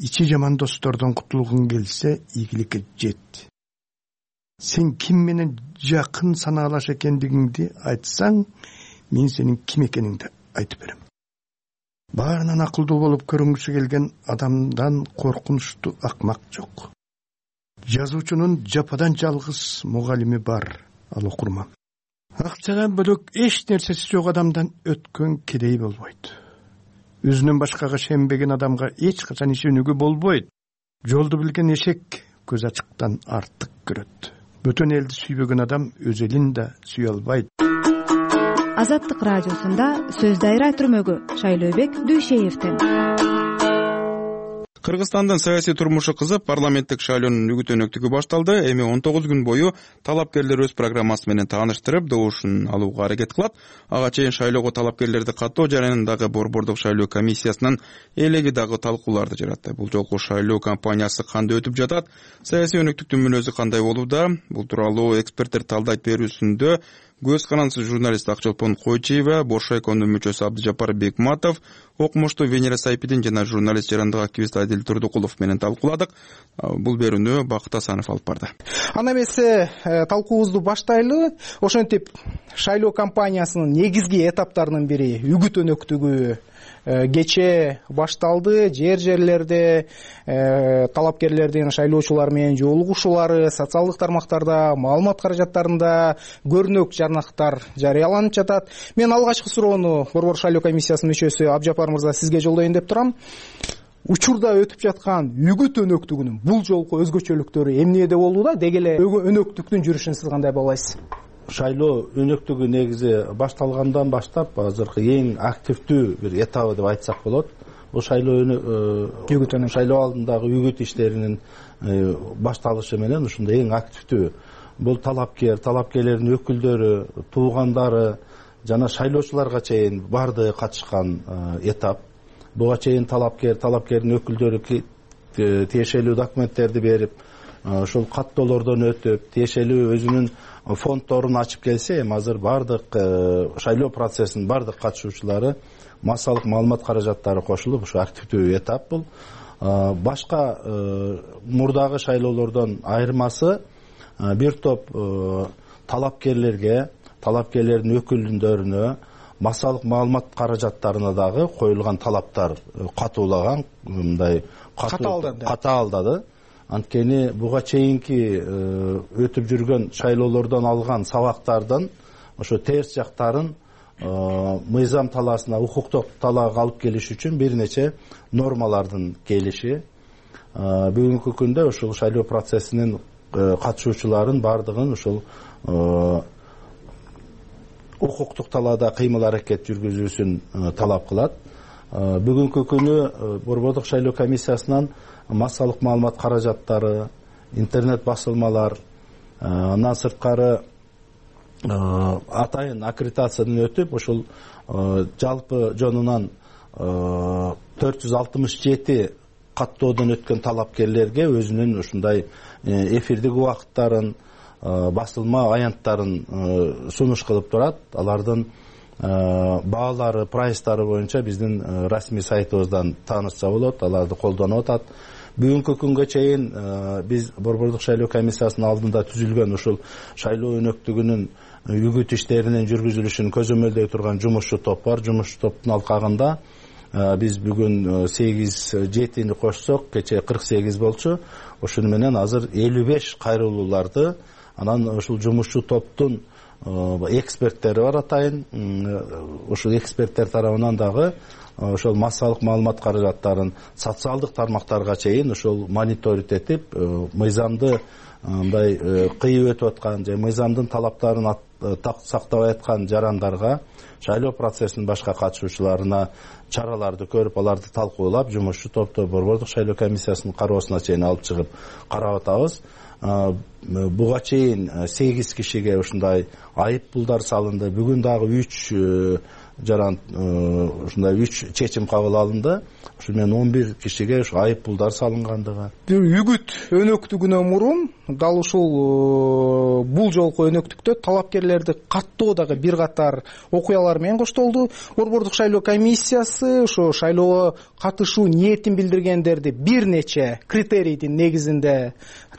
Ичи жаман достордон кутулгуң келсе, ийгиликке жет. Сен ким менен жакын санаалаш экендигиңди айтсаң, мен сенин ким экениңди айтып берем. Баарынан акылдуу болуп көрүнгүсү келген адамдан коркунучтуу акмак жок. Жазуучунун жападан жалгыз мугалими бар, ал окурман. Акчадан бөлөк эч нерсеси жок адамдан өткөн кедей болбойт. Өзүнөн башкага шенбеген адамга эч качан ишенүүгө болбойт. Жолду билген эшек көз ачыктан артык көрөт. Бөтөн элди сүйбөгөн адам өз элин да сүйө албайт. Азаттык радиосунда сөз дайра түрмөгү Шайлообек Дүйшеевден. Кыргызстандын саясий турмушу кызып, парламенттик шайлоонун үгүт өнөктүгү башталды. Эми 19 күн бою талапкерлер өз программасы менен тааныштырып, добушун алууга аракет кылат. Ага чейин шайлоого талапкерлерди каттоо жарыянындагы борбордук шайлоо комиссиясынын элеги дагы талкууларды жаратты. Бул жолку шайлоо кампаниясы кандай өтүп жатат? Саясий өнөктүктүн мүнөзү кандай болууда? Бул тууралуу эксперттер талдайт берүүсүндө көз канансыз журналист Акчолпон Койчиева, Боршайкондун мүчөсү Абдыжапар Бекматов, окумуштуу Венера Сайпидин жана журналист жарандык активист Адил Турдукулов менен талкууладык. Бул берүүнү Бакыт Асанов алып барды. Анда эмесе талкуубузду баштайлы. Ошентип шайлоо кампаниясынын негизги этаптарынын бири үгүт өнөктүгү кечээ башталды. Жерлерде талапкерлердин шайлоочулар менен жолугушуулары социалдык тармактарда, маалымат каражаттарында көрүнөк жарнактар жарыяланып жатат. Мен алгачкы суроону борбор шайлоо комиссиясынын мүчөсү Абдыжапар мырза сизге жолдоюн деп турам. Учурда өтүп жаткан үгүт өнөктүгүнүн бул жолку өзгөчөлүктөрү эмнеде болууда? Деги эле өнөктүктүн жүрүшүн сиз кандай баалайсыз? Шайлоо өнөктүгү негизи башталгандан баштап азыркы эң активдүү бир этабы деп айтсак болот. Бул шайлоо алдындагы үгүт иштеринин башталышы менен ушунда эң активдүү. Бул талапкерлердин өкүлдөрү, туугандары жана шайлоочуларга чейин баардыгы катышкан этап. Буга чейин талапкердин өкүлдөрү тиешелүү документтерди берип, ошол каттоолордон өтүп, тиешелүү өзүнүн фонддорун ачып келсе, эми азыр бардык шайлоо процессинин бардык катышуучулары массалык маалымат каражаттары кошулуп, ушу активдүү этап бул. Башка мурдагы шайлоолордон айырмасы бир топ талапкерлерге, талапкерлердин өкүлдөрүнө, массалык маалымат каражаттарына дагы коюлган талаптар катуулаган, мындай катаалдады. Анткени буга чейинки өтүп жүргөн шайлоолордон алган сабактардын ошо терс жактарын мыйзам талаасына, укуктук талаага алып келиш үчүн бир нече нормалардын келиши. Бүгүнкү күндө ушул шайлоо процессинин катышуучуларын бардыгын ушул укуктук талаада кыймыл аракет жүргүзүүсүн талап кылат. Бүгүнкү күнү Борбордук шайлоо комиссиясынан массалык маалымат каражаттары, интернет басылмалар, андан сырткары атайын аккредитациядан өтүп, ушул жалпы жонунан 467 каттоодон өткөн талапкерлерге өзүнүн ушундай эфирдик убакыттарын, басылма аянттарын сунуш кылып турат. Алардын баалары, прайстары боюнча биздин расмий сайтыбыздан таанышса болот, аларды колдонуп атат. Бүгүнкү күнгө чейин биз Борбордук шайлоо комиссиясынын алдында түзүлгөн ушул шайлоо өнөктүгүнүн үгүт иштеринин жүргүзүлүшүн көзөмөлдөй турган жумушчу топ бар. Жумушчу топтун алкагында биз бүгүн 8-7 кошсок, кечээ 48 болчу. Ошону менен азыр 55 кайрылууларды, анан ушул жумушчу топтун эксперттери бар атайын. Ушул эксперттер тарабынан дагы ошол массалык маалымат каражаттарын социалдык тармактарга чейин ошол мониторинг этип, мыйзамды мындай кыйып өтүп аткан же мыйзамдын талаптарын сактабай аткан жарандарга, шайлоо процессинин башка катышуучуларына чараларды көрүп, аларды талкуулап, жумушчу топту Борбордук шайлоо комиссиясынын кароосуна чейин алып чыгып карап атабыз. Буга чейин 8 кишиге ушундай айып пулдар салынды. Бүгүн дагы 3 жаран ушундай 3 чечим кабыл алынды. Ошол менен 11 кишиге ушу айып пулдар салынгандыгы. Үгүт өнөктүгүнөн мурун дал ушул бул жолку өнөктүктө талапкерлерди каттоодагы бир катар окуялар менен коштолду. Борбордук шайлоо комиссиясы ошо шайлоого катышуу ниетин билдиргендерди бир нече критерийдин негизинде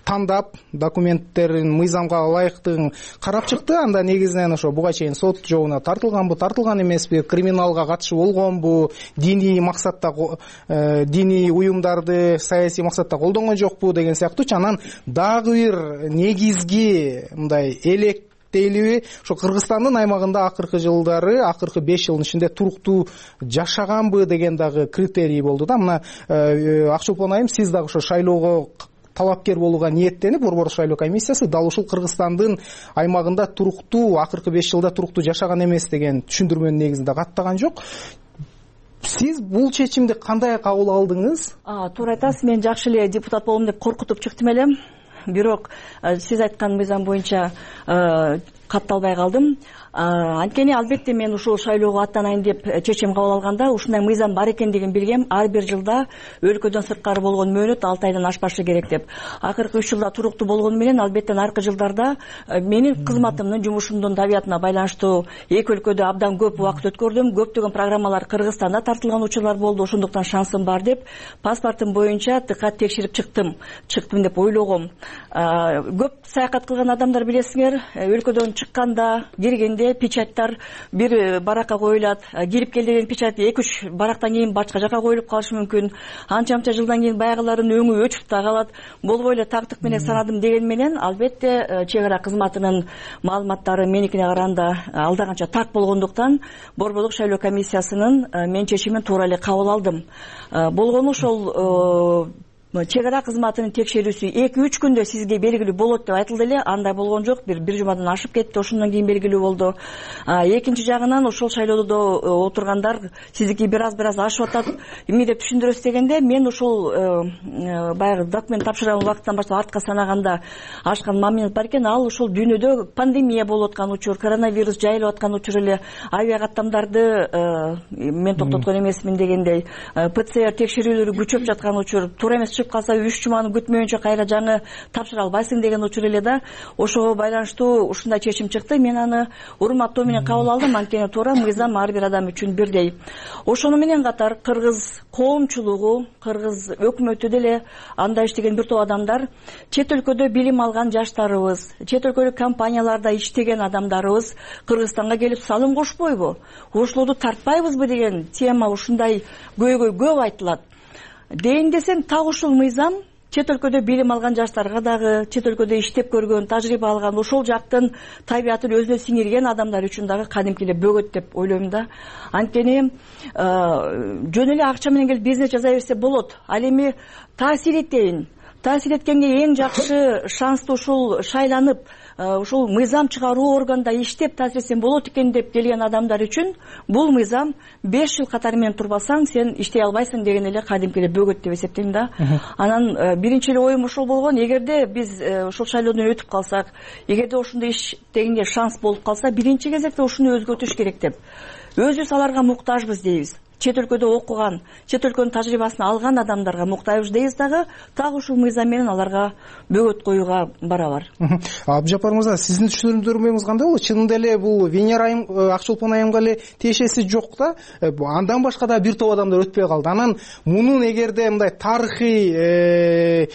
тандап, документтерин мыйзамга ылайыктыгын карап чыкты. Анда негизинен ошо буга чейин сот жообуна тартылганбы, тартылган эмеспи, криминалга катышы болгонбу, диний максатта диний уюмдарды саясий максатта колдонгон жокпу деген сыяктуучу. Анан дагы бир негизги мындай электейлиби, ошо Кыргызстандын аймагында акыркы жылдары, акыркы 5 жылдын ичинде туруктуу жашаганбы деген дагы критерий болду да. Мына Акчолпон айым, сиз дагы ошо шайлоого талапкер болууга ниеттенип, Борбордук шайлоо комиссиясы дал ушул Кыргызстандын аймагында туруктуу, акыркы 5 жылда туруктуу жашаган эмес деген түшүндүрмөнүн негизинде каттаган жок. Сиз бул чечимди кандай кабыл алдыңыз? Туура айтасыз, мен жакшы эле депутат болом деп коркутуп чыктым элем. Бирок сиз айткан мыйзам боюнча катталбай калдым. Анткени албетте мен ушул шайлоого аттанайын деп чечим кабыл алганда ушундай мыйзам бар экендигин билгем. Ар бир жылда өлкөдөн сырткары болгон мөөнөт 6 айдан ашпашы керек деп. Акыркы 3 жылда туруктуу болгону менен албетте аркы жылдарда менин кызматымдын, жумушумдун табиятына байланыштуу эки өлкөдө абдан көп убакыт өткөрдүм. Көптөгөн программалар Кыргызстанда тартылган учурлар болду. Ошондуктан шансым бар деп паспортум боюнча тыкат текшерип чыктым деп ойлогом. Көп саякат кылган адамдар билесиңер, өлкөдөн чыкканда, киргенде печаттар бир баракка коюлат, кирип кел деген печать 2-3 барактан кийин башка жака коюлуп калышы мүмкүн. Анча жылдан кийин баягыларын өңү өчүп да калат. Болбой эле тактык менен санадым деген менен албетте чек ара кызматынын маалыматтары меникине караганда алдаганча так болгондуктан Борбордук шайлоо комиссиясынын мен чечимин туура эле кабыл алдым. Болгону ошол чек ара кызматынын текшерүүсү 2-3 күндө сизге белгилүү болот деп айтылды эле. Андай болгон жок. Бир жумадан ашып кетти. Ошондон кийин белгилүү болду. Экинчи жагынан ошол шайлоодо отургандар сиздики бир аз ашып атат, эмне деп түшүндүрөсүз дегенде, мен ошол баягы документ тапшырган убакыттан баштап артка санаганда ашкан момент бар экен. Ал ошол дүйнөдө пандемия болуп аткан учур, коронавирус жайылып аткан учур эле авиа каттамдарды мен токтоткон эмесмин дегендей, ПЦР текшерүүлөрү күчөп жаткан учур, туура эмес кечигип калса 3 жуманы күтмөйүнчө кайра жаңы тапшыра албайсың деген учур эле да. Ошого байланыштуу ушундай чечим чыкты. Мен аны урматтоо менен кабыл алдым, анткени туура мыйзам ар бир адам үчүн бирдей. Ошону менен катар кыргыз коомчулугу, кыргыз өкмөтү деле анда иштеген бир топ адамдар, чет өлкөдө билим алган жаштарыбыз, чет өлкөлүк компанияларда иштеген адамдарыбыз Кыргызстанга келип салым кошпойбу, ошолорду тартпайбызбы деген тема ушундай көйгөй көп айтылат. Дейин десең, так ушул мыйзам чет өлкөдө билим алган жаштарга дагы, чет өлкөдө иштеп көргөн, тажрыйба алган, ошол жактын табиятын өзүнө сиңирген адамдар үчүн дагы кадимки эле бөгөт деп ойлойм да. Анткени жөн эле акча менен келип бизнес жасай берсе болот. Ал эми таасир этейин. Таасир эткенге эң жакшы шанстуу ушул шайланып, ушул мыйзам чыгаруу органда иштеп таасир этсең болот экен деп келген адамдар үчүн бул мыйзам 5 жыл катары менен турбасаң сен иштей албайсың деген эле кадимки эле бөгөт деп эсептейм да. Анан биринчи эле оюм ошол болгон, эгерде биз ошол шайлоодон өтүп калсак, эгерде ошондой иштегенге шанс болуп калса, биринчи кезекте ушуну өзгөртүш керек деп. Өзүбүз аларга муктажбыз дейбиз. Чет өлкөдө окуган, чет өлкөнүн тажрыйбасын алган адамдарга муктажбыз дейбиз дагы, так ушул мыйзам менен аларга бөгөт коюуга барабар. Абдыжаппар мырза, сиздин түшүндүрмөңүз кандай болот? Чынында эле бул Венера айым, Акчолпон айымга эле тиешеси жок да. Андан башка да бир топ адамдар өтпөй калды. Анан мунун эгерде мындай тарыхый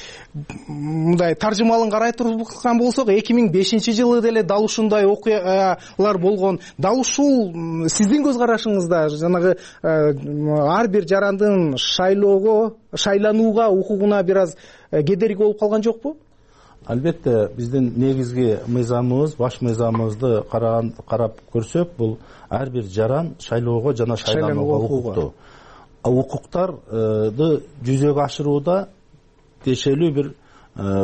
мындай таржымалын карай турган болсок, 2005-жылы деле дал ушундай окуялар болгон. Дал ушул сиздин көз карашыңызда жанагы ар бир жарандын шайланууга укугуна бир аз кедерги болуп калган жокпу? Албетте, биздин негизги мыйзамыбыз, баш мыйзамыбызды карап көрсөк, бул ар бир жаран шайлоого жана шайланууга укуктуу. Укуктарды жүзөгө ашырууда тиешелүү бир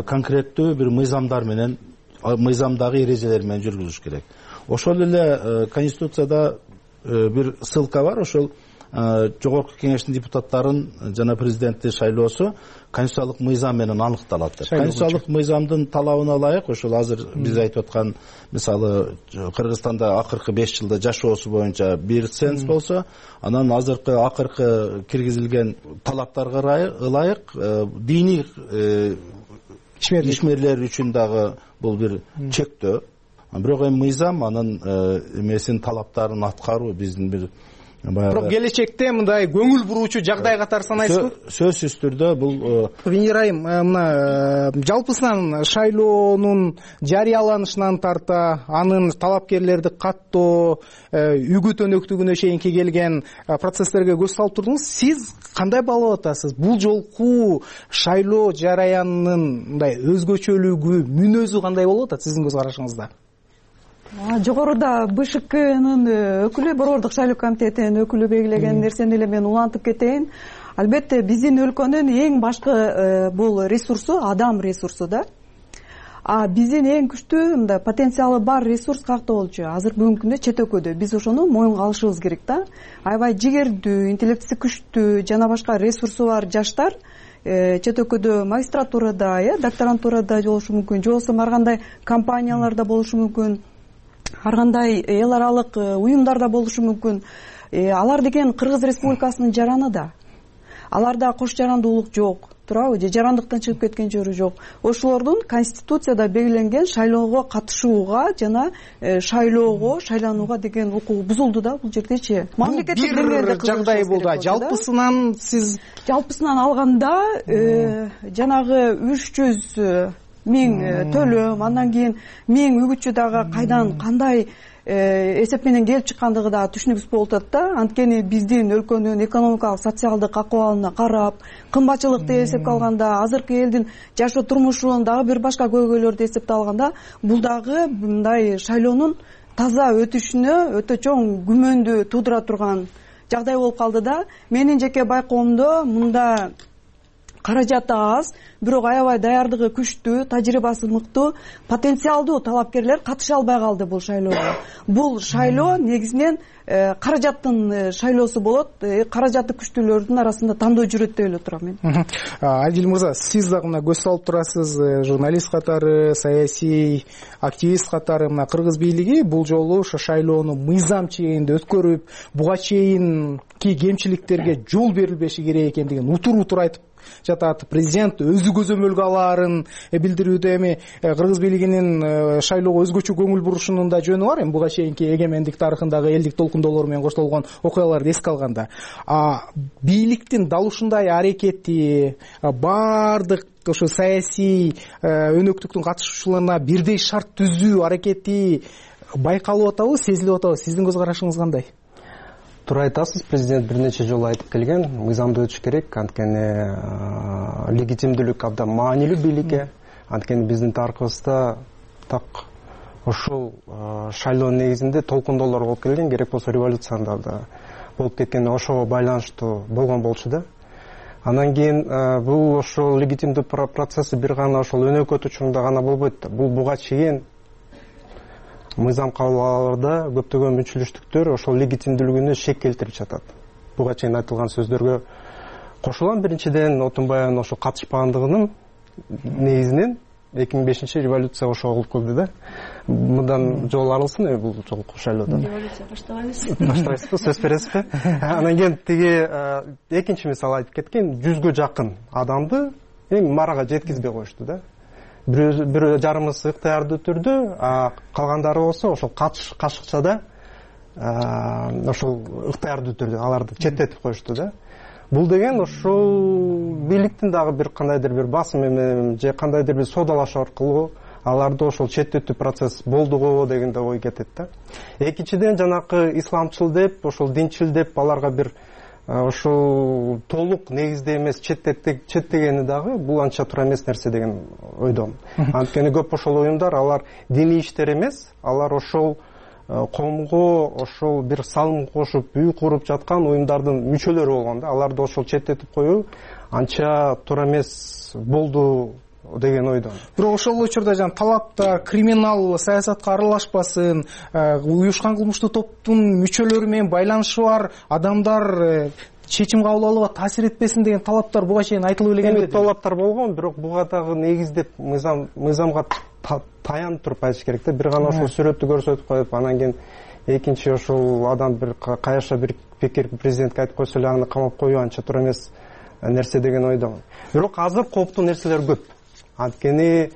конкреттүү бир мыйзамдар менен, мыйзамдагы эрежелер менен жүргүзүш керек. Ошол эле Конституцияда бир ссылка бар, ошол жогорку кеңештин депутаттарын жана президентти шайлоосу конституциялык мыйзам менен аныкталат деп. Конституциялык мыйзамдын талабына ылайык, ошол азыр биз айтып аткан, мисалы Кыргызстанда акыркы 5 жылда жашоосу боюнча бир ценз болсо, анан азыркы акыркы киргизилген талаптарга ылайык диний ишмерлер үчүн дагы бул бир чектөө. Бирок эми мыйзам анын эмесин талаптарын аткаруу биздин бир бирок келечекте мындай көңүл буруучу жагдай катары санайсызбы? Сөзсүз түрдө бул Венера айым, мына жалпысынан шайлоонун жарыяланышынан тарта, анын талапкерлерди каттоо, үгүт өнөктүгүнө чейинки келген процесстерге көз салып турдуңуз. Сиз кандай баалап атасыз? Бул жолку шайлоо жараянынын мындай өзгөчөлүгү, мүнөзү кандай болуп атат сиздин көз карашыңызда? Жогоруда БШКнын өкүлү, Борбордук шайлоо комитетинин өкүлү белгилеген нерсени эле мен улантып кетейин. Албетте биздин өлкөнүн эң башкы бул ресурсу адам ресурсу да. Биздин эң күчтүү мындай потенциалы бар ресурс каякта болчу? Азыр бүгүнкү күндө чет өлкөдө. Биз ошону моюнга алышыбыз керек да. Аябай жигердүү, интеллектиси күчтүү жана башка ресурсу бар жаштар чет өлкөдө магистратурада, докторантурада болушу мүмкүн, же болбосо ар кандай компанияларда болушу мүмкүн, ар кандай эл аралык уюмдарда болушу мүмкүн. Алар деген Кыргыз Республикасынын жараны да. Аларда кош жарандуулук жок, туурабы? Же жарандыктан чыгып кеткен жери жок. Ошолордун Конституцияда белгиленген шайлоого катышууга жана шайлоого, шайланууга деген укугу бузулду да бул жердечи. Мамлекеттик деңгээлде жагдай болду. Жалпысынан сиз алганда жанагы 300 миң төлөм, андан кийин 1000 үгүтчү дагы кайдан кандай эсеп менен келип чыккандыгы да түшүнүксүз болуп атат да. Анткени биздин өлкөнүн экономикалык, социалдык акыбалына карап, кымбатчылыкты эсепке алганда, азыркы элдин жашоо турмушунун дагы бир башка көйгөйлөрдү эсепке алганда, бул дагы мындай шайлоонун таза өтүшүнө өтө чоң күмөндү туудура турган жагдай болуп калды да. Менин жеке байкоомдо мында каражаты аз, бирок аябай даярдыгы күчтүү, тажрыйбасы мыктуу, потенциалдуу талапкерлер катыша албай калды бул шайлоого. Бул шайлоо негизинен каражаттын шайлоосу болот, каражаты күчтүүлөрдүн арасында тандоо жүрөт деп эле турам мен. Адил мырза, сиз дагы мына көз салып турасыз, журналист катары, саясий активист катары. Мына кыргыз бийлиги бул жолу ошо шайлоону мыйзам чегинде өткөрүп, буга чейинки кемчиликтерге жол берилбеши керек экендигин утур айтып жатат. Президент өзү көзөмөлгө алаарын билдирүүдө. Эми кыргыз бийлигинин шайлоого өзгөчө көңүл бурушунун да жөнү бар. Эми буга чейинки эгемендик тарыхындагы элдик толкундоолор менен коштолгон окуяларды эске алганда, бийликтин дал ушундай аракети баардык ошо саясий өнөктүктүн катышуучуларына бирдей шарт түзүү аракети байкалып атабы, сезилип атабы? Сиздин көз карашыңыз кандай? Туура айтасыз, президент бир нече жолу айтып келген, мыйзамды өтүш керек, анткени легитимдүүлүк абдан маанилүү бийликке. Анткени биздин тарыхыбызда так ушул шайлоонун негизинде толкундоолор болуп келген, керек болсо революцияда да болуп кеткен, ошого байланыштуу болгон болчу да. Андан кийин бул ошол легитимдүү процесси бир гана ошол өнөкөт учурунда гана болбойт да. Бул буга чейин мыйзам кабылгаларда көптөгөн мүнчүлүштүктөр ошол легитимдүүлүгүнө шек келтирип жатат. Буга чейин айтылган сөздөргө кошулам. Биринчиден, Отунбаевдин ошо катышпагандыгынын негизинен 2005 революция ошого болуп келди да. Мындан жол арылсын бул жолку шайлоодо. Революция баштабайбыз. Баштабайсызбы, сөз бересизби? Анан кийин тиги экинчи мисал айтып кеткен, 100гө жакын адамды эми марага жеткизбей коюшту да. Бир жарымысы ыктыярдуу түрдө, калгандары болсо ошол кашыкчада ошол ыктыярдуу түрдө аларды четтетип коюшту да. Бул деген ошол бийликтин дагы бир кандайдыр бир басым менен же кандайдыр бир содалашуу аркылуу аларды ошол четтетүү процесс болду го деген да ой кетет да. Экинчиден, жанакы исламчыл деп, ошол динчил деп аларга бир ошол толук негизде эмес четтегени дагы бул анча туура эмес нерсе деген ойдомун. Анткени көп ошол уюмдар, алар диний иштер эмес, алар ошол коомго ошол бир салым кошуп, үй куруп жаткан уюмдардын мүчөлөрү болгон да. Аларды ошол четтетип коюу анча туура эмес болду деген ойдомун. Бирок ошол учурда талапта криминал саясатка аралашпасын, уюшкан кылмыштуу топтун мүчөлөрү менен байланышы бар адамдар чечим кабыл алууга таасир этпесин деген талаптар буга чейин айтылып эле келди. Талаптар болгон, бирок буга дагы негиздеп мыйзамга таянып туруп айтыш керек да. Бир гана ошол сүрөттү көрсөтүп коюп, анан кийин экинчи ошол адам бир каяша бир пикир президентке айтып койсо эле аны камап коюу анча туура эмес нерсе деген ойдомун. Бирок азыр кооптуу нерселер көп. Анткени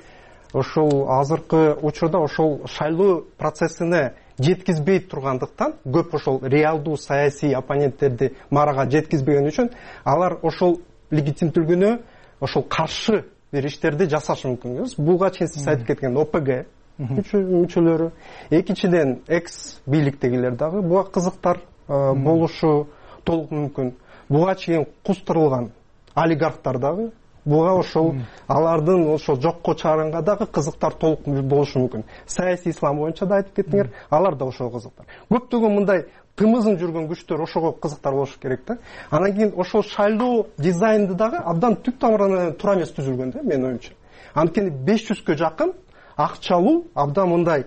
ошол азыркы учурда ошол шайлоо процессине жеткизбей тургандыктан, көп ошол реалдуу саясий оппоненттерди марага жеткизбеген үчүн алар ошол легитимдүүлүгүнө ошол каршы бир иштерди жасашы мүмкүн. Буга чейин сиз айтып кеткен ОПГ мүчөлөрү, экинчиден экс бийликтегилер дагы буга кызыктар болушу толук мүмкүн. Буга чейин кустурулган олигархтар дагы буга ошол алардын ошол жокко чыгарганга дагы кызыктар толук болушу мүмкүн. Саясий ислам боюнча да айтып кеттиңер, алар да ошого кызыктар. Көптөгөн мындай тымызын жүргөн күчтөр ошого кызыктар болушу керек да. Анан кийин ошол шайлоо дизайнды дагы абдан түп тамырынан туура эмес түзүлгөн да, менин оюмча. Анткени 500гө жакын акчалуу абдан мындай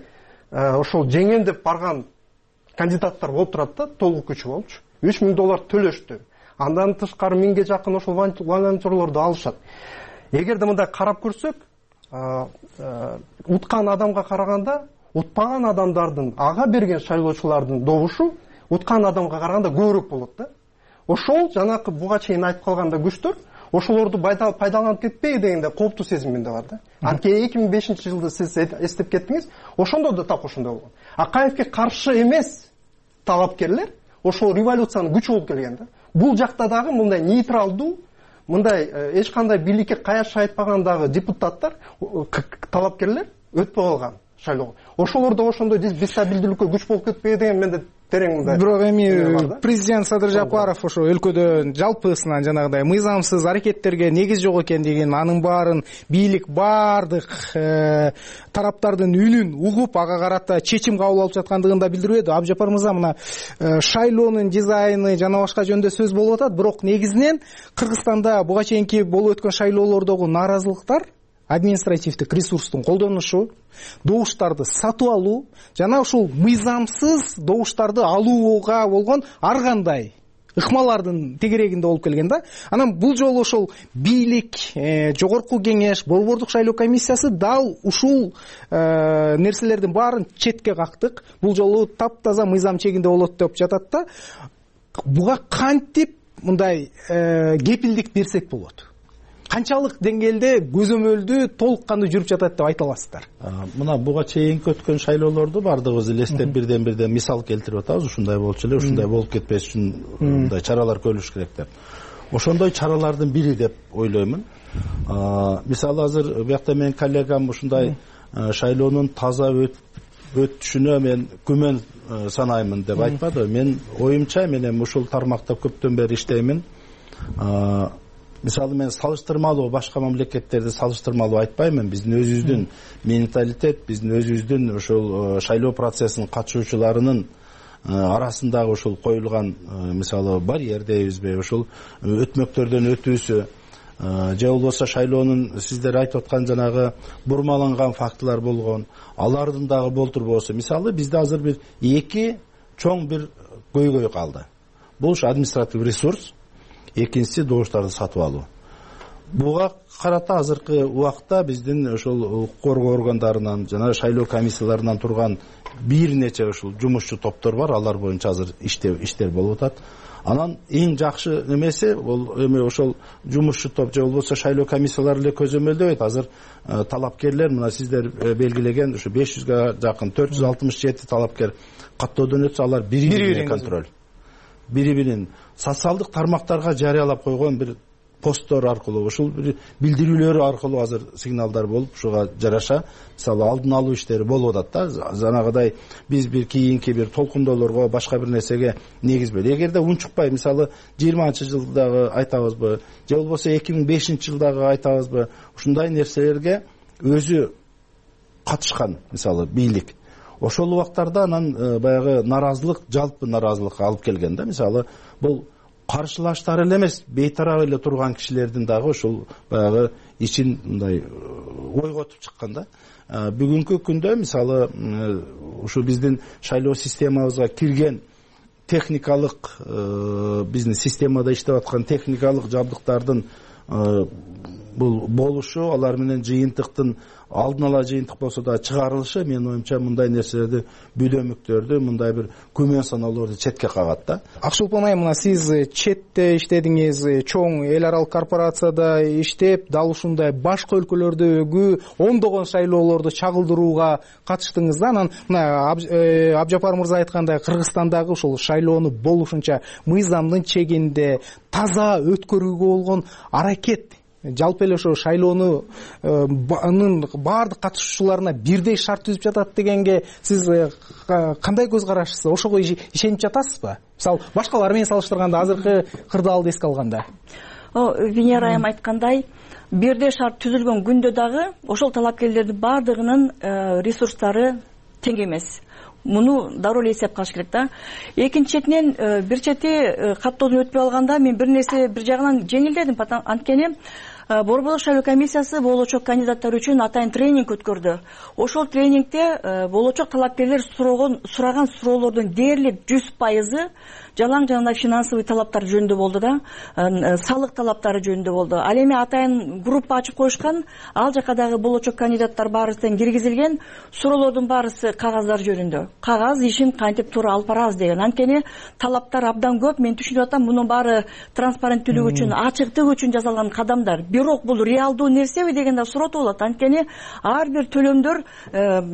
ошол жеңем деп барган кандидаттар болуп турат да, толук күчү болчу. $3000 төлөштү. Андан тышкары 1000ге жакын ошол волонтерлорду алышат. Эгерде мындай карап көрсөк, уткан адамга караганда, утпаган адамдардын ага берген шайлоочулардын добушу уткан адамга караганда көбүрөөк болот да. Ошол жанакы буга чейин айтып калганда күчтөр ошолорду пайдаланып кетпей дегенде кооптуу сезим менде бар да. Анткени 2005-жылды сиз эстеп кеттиңиз, ошондо да так ошондой болгон. Акаевке каршы эмес талапкерлер ошол революциянын күчү болуп келген да. Бул жакта дагы мындай нейтралдуу, мындай эч кандай бийликке каяш айтпагандагы депутаттар, талапкерлер өтпөй калган шайлоого. Ошолор да ошондой дестабилдүүлүккө күч болуп кетпей деген менде терең мындай. Бирок эми президент Садыр Жапаров ошо өлкөдө жалпысынан жанагыдай мыйзамсыз аракеттерге негиз жок экендигин, анын баарын бийлик баардык тараптардын үнүн угуп, ага карата чечим кабыл алып жаткандыгын да билдирип еді. Абжапар мырза, мына шайлоонун дизайны жана башка жөнүндө сөз болуп атат, бирок негизинен Кыргызстанда буга чейинки болуп өткөн шайлоолордогу нааразылыктар административдик ресурстун колдонушу, добуштарды сатып алуу жана ушул мыйзамсыз добуштарды алууга болгон ар кандай ыкмалардын тегерегинде болуп келген да. Анан бул жолу ошол бийлик, жогорку кеңеш, борбордук шайлоо комиссиясы дал ушул нерселердин баарын четке кактык. Бул жолу таптаза мыйзам чегинде болот деп жатат да. Буга кантип мындай кепилдик берсек болот? Канчалык деңгээлде көзөмөлдүү толук кандуу жүрүп жатат деп айта аласыздар? Мына буга чейинки өткөн шайлоолорду бардыгыбыз элестеп бирден мисал келтирип атабыз. Ушундай болчу эле, ушундай болуп кетпеш үчүн мындай чаралар көрүлүш керек деп. Ошондой чаралардын бири деп ойлоймун. Мисалы азыр биякта менин коллегам ушундай шайлоонун таза өтүшүнө мен күмөн санаймын деп айтпады. Мен оюмча мен эми ушул тармакта көптөн бери иштеймин. Мисалы мен салыштырмалуу башка мамлекеттерди салыштырмалуу айтпаймын. Биздин өзүбүздүн менталитет, биздин өзүбүздүн ушул шайлоо процессинин катышуучуларынын арасындагы ушул коюлган мисалы барьер дейбизби, ушул өтмөктөрдөн өтүүсү же болбосо шайлоонун сиздер айтып аткан жанагы бурмаланган фактылар болгон, алардын дагы болтурбоосу. Мисалы бизде азыр бир эки чоң бир көйгөй калды. Бул административ ресурс, экинчиси добуштарды сатып алуу. Буга карата азыркы убакта биздин ошол укук коргоо органдарынан жана шайлоо комиссияларынан турган бир нече ушул жумушчу топтор бар. Алар боюнча азыр иштер болуп атат. Анан эң жакшы немеси бул эми ошол жумушчу топ же болбосо шайлоо комиссиялары эле көзөмөлдөбөйт. Азыр талапкерлер мына сиздер белгилеген ушу 500га жакын 467 талапкер каттоодон өтсө, алар бири-бирин контроль, бири-бирин социалдык тармактарга жарыялап койгон бир посттор аркылуу, ушул бир билдирүүлөр аркылуу азыр сигналдар болуп, ушуга жараша мисалы алдын алуу иштери болуп атат да. Жанагыдай биз бир кийинки бир толкундоолорго, башка бир нерсеге негизбей. Эгерде унчукпай, мисалы 20-жылдагы айтабызбы, же болбосо 2005-жылдагы айтабызбы, ушундай нерселерге өзү катышкан мисалы бийлик, ошол убактарда анан баягы наразылык, жалпы наразылыкка алып келген да. Мисалы бул каршылаштар эле эмес, бейтарап эле турган кишилердин дагы ушул баягы ичин мындай ойготуп чыккан да. Бүгүнкү күндө мисалы ушу биздин шайлоо системабызга кирген техникалык, биздин системада иштеп аткан техникалык жабдыктардын бул болушу, алар менен жыйынтыктын алдын ала жыйынтык болсо да чыгарылышы, менин оюмча мындай нерселерди, бүдөмүктөрдү, мындай бир күмөн саноолорду четке кагат да. Акшулпан айым, мына сиз четте иштедиңиз, чоң эл аралык корпорацияда иштеп, дал ушундай башка өлкөлөрдөгү ондогон шайлоолорду чагылдырууга катыштыңыз да. Анан мына Абжапар мырза айткандай, Кыргызстандагы ушул шайлоону болушунча мыйзамдын чегинде таза өткөрүүгө болгон аракет, жалпы эле ошо шайлоонун баардык катышуучуларына бирдей шарт түзүп жатат дегенге сиз кандай көз карашысыз? Ошого ишенип жатасызбы? Мисалы башкалар менен салыштырганда, азыркы кырдаалды эске алганда. Венера айым айткандай, бирдей шарт түзүлгөн күндө дагы ошол талапкерлердин баардыгынын ресурстары тең эмес. Муну дароо эле эсеп калыш керек да. Экинчи четинен бир чети каттоодон өтпөй алганда мен бир нерсе бир жагынан жеңилдедим. Анткени борбордук шайлоо комиссиясы болочок кандидаттар үчүн атайын тренинг өткөрдү. Ошол тренингде болочок талапкерлер сураган суроолордун дээрлик 100% жалаң жана финансовый талаптар жөнүндө болду да, салык талаптары жөнүндө болду. Ал эми атайын группа ачып коюшкан, ал жака дагы болочок кандидаттар баарысы киргизилген, суроолордун баарысы кагаздар жөнүндө. Кагаз ишин кантип туура алып барабыз деген. Анткени талаптар абдан көп. Мен түшүнүп атам, мунун баары транспаrenттүүлүк үчүн, ачыктык үчүн жасалган кадамдар. Бирок бул реалдуу нерсеби дегенде суроо болот. Анткени ар бир төлөмдөр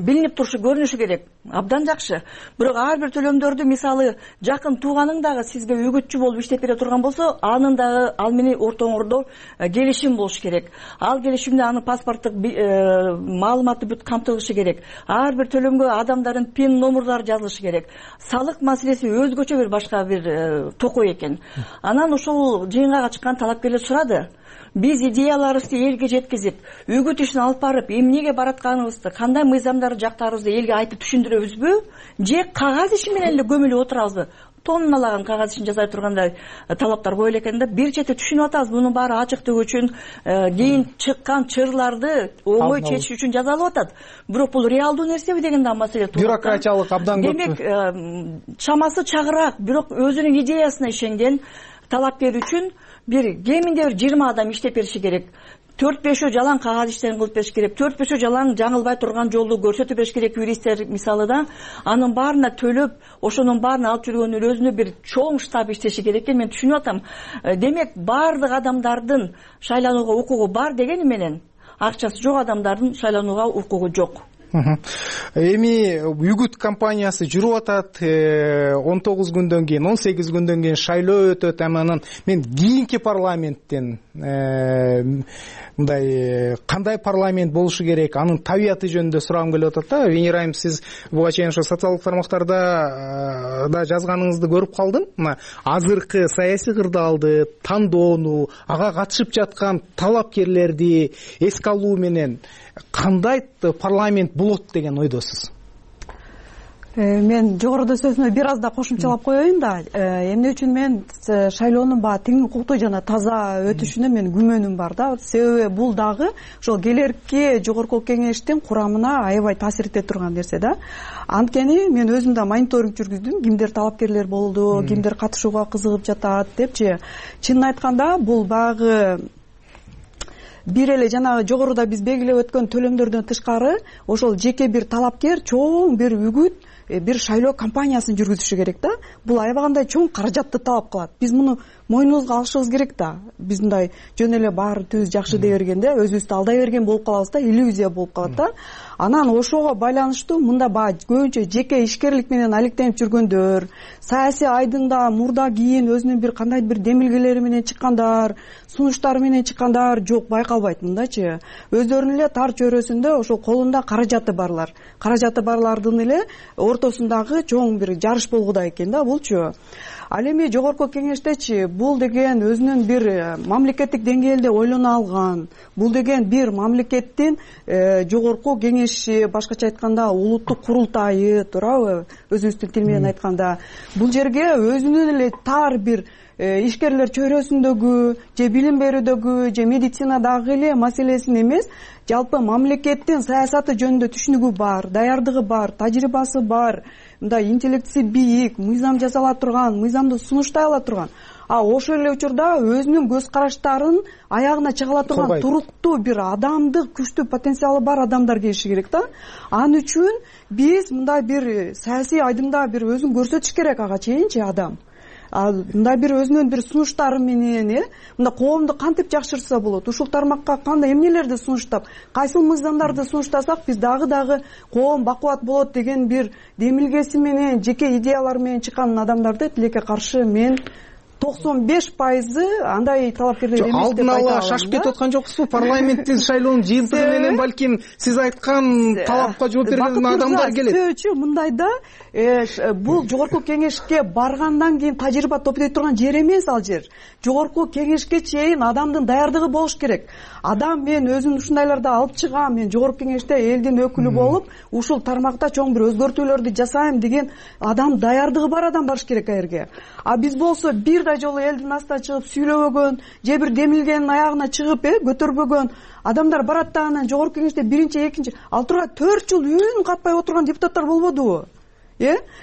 билинип турушу, көрүнүшү керек. Абдан жакшы. Бирок ар бир төлөмдөрдү мисалы жакын тууганың дагы сизге үгүтчү болуп иштеп бере турган болсо, анын дагы ал менен ортоңордо келишим болуш керек. Ал келишимде анын паспорттук маалыматы бүт камтылышы керек. Ар бир төлөмгө адамдардын пин номурлары жазылышы керек. Салык маселеси өзгөчө бир башка бир токой экен. Анан ошол жыйынга чыккан талапкерлер сурады. Биз идеяларыбызды элге жеткизип, үгүт ишин алып барып, эмнеге баратканыбызды, кандай мыйзамдарды жактаарыбызды элге айтып түшүндүрөбүзбү, же кагаз иши менен эле көмүлүп отурабызбы? тонналаган кагаз ишин жасай тургандай талаптар коюла экен да. Бир чети түшүнүп атабыз, мунун баары ачыктык үчүн, кийин чыккан чырларды оңой чечиш үчүн жасалып атат. Бирок бул реалдуу нерсеби деген да маселе туура. Бюрократиялык абдан көп. Демек, чамасы чагыраак, бирок өзүнүн идеясына ишенген талапкер үчүн кеминде 20 адам иштеп бериши керек. 4-5 жалаң кагаз иштерин кылып бериш керек. 4-5 жалаң жаңылбай турган жолду көрсөтүп бериш керек юристтер мисалы да. Анын баарына төлөп, ошонун баарын алып жүргөнүн өзүнө бир чоң штаб иштеши керек экен. Мен түшүнүп атам. Демек, баардык адамдардын шайланууга укугу бар дегени менен, акчасы жок адамдардын шайланууга укугу жок. Эми үгүт кампаниясы жүрүп атат. 19 күндөн кийин, 18 күндөн кийин шайлоо өтөт. Анан мен кийинки парламенттен мындай кандай парламент болушу керек, анын табияты жөнүндө сурагым келип атат да. Венера айым, сиз буга чейин ошо социалдык тармактарда да жазганыңызды көрүп калдым. Мына азыркы саясий кырдаалды, тандоону, ага катышып жаткан талапкерлерди эске алуу менен кандай парламент болот деген ойдосуз? Мен жогоруда сөзүмө бир аз да кошумчалап коеюн да. Эмне үчүн мен шайлоонун тең укуктуу жана таза өтүшүнө мен күмөнүм бар да. Себеби бул дагы ошол келерки жогорку кеңештин курамына аябай таасир эте турган нерсе да. Анткени мен өзүм да мониторинг жүргүздүм. Кимдер талапкерлер болду, кимдер катышууга кызыгып жатат депчи. Чынын айтканда бул багы бир эле жанагы жогоруда биз белгилеп өткөн төлөмдөрдөн тышкары ошол жеке бир талапкер чоң бир үгүт, бир шайлоо кампаниясын жүргүзүшү керек да. Бул аябагандай чоң каражатты талап кылат. Биз муну мойнубузга алышыбыз керек да. Биз мындай жөн эле баары түз жакшы дей бергенде өзүбүздү алдай берген болуп калабыз да, иллюзия болуп калат да. Анан ошого байланыштуу мында баягы көбүнчө жеке ишкерлик менен алектенип жүргөндөр, саясий айдыңда мурда кийин өзүнүн бир кандай бир демилгелери менен чыккандар, сунуштары менен чыккандар жок байкалбайт мындачы. Өздөрүнүн эле тар чөйрөсүндө ошол колунда каражаты барлардын эле ортосундагы чоң бир жарыш болгудай экен да булчу. Ал эми жогорку кеңештечи бул деген өзүнүн бир мамлекеттик деңгээлде ойлоно алган, бул деген бир мамлекеттин жогорку кеңеши, башкача айтканда улуттук курултайы, туурабы? Өзүбүздүн тил менен айтканда бул жерге өзүнүн эле тар бир ишкерлер чөйрөсүндөгү же билим берүүдөгү же медицинадагы эле маселесин эмес, жалпы мамлекеттин саясаты жөнүндө түшүнүгү бар, даярдыгы бар, тажрыйбасы бар, мындай интеллектиси бийик, мыйзам жасала турган, мыйзамды сунуштай ала турган. Ошол эле учурда өзүнүн көз караштарын аягына чыга ала турган туруктуу бир адамдык күчтүү потенциалы бар адамдар келиши керек да. Ал үчүн биз мындай бир саясий айдыңда бир өзүн көрсөтүш керек ага чейинчи адам. Мындай бир өзүнүн бир сунуштары менен, мында коомду кантип жакшыртса болот, ушул тармакка кандай эмнелерди сунуштап, кайсыл мыйзамдарды сунуштасак биз дагы коом бакубат болот деген бир демилгеси менен, жеке идеялары менен чыккан адамдарды тилекке каршы мен 95% андай талапкерлер эмес деп айта алам. Алдын ала шашып кетип аткан жоксузбу? Парламенттин шайлоонун жыйынтыгы менен балким сиз айткан талапка жооп берген адамдар келет. Сөзчү мындайда бул жогорку кеңешке баргандан кийин тажрыйба топтой турган жер эмес ал жер. Жогорку кеңешке чейин адамдын даярдыгы болуш керек. Адам мен өзүм ушундайларды алып чыгам, мен жогорку кеңеште элдин өкүлү болуп, ушул тармакта чоң бир өзгөртүүлөрдү жасайм деген адам даярдыгы бар адам барыш керек аерге. Биз болсо бир да жолу элдин астына чыгып сүйлөбөгөн, же бир демилгенин аягына чыгып көтөрбөгөн адамдар барат да анан жогорку кеңеште биринчи, экинчи, ал турган 4 жыл үн катпай отурган депутаттар болбодубу?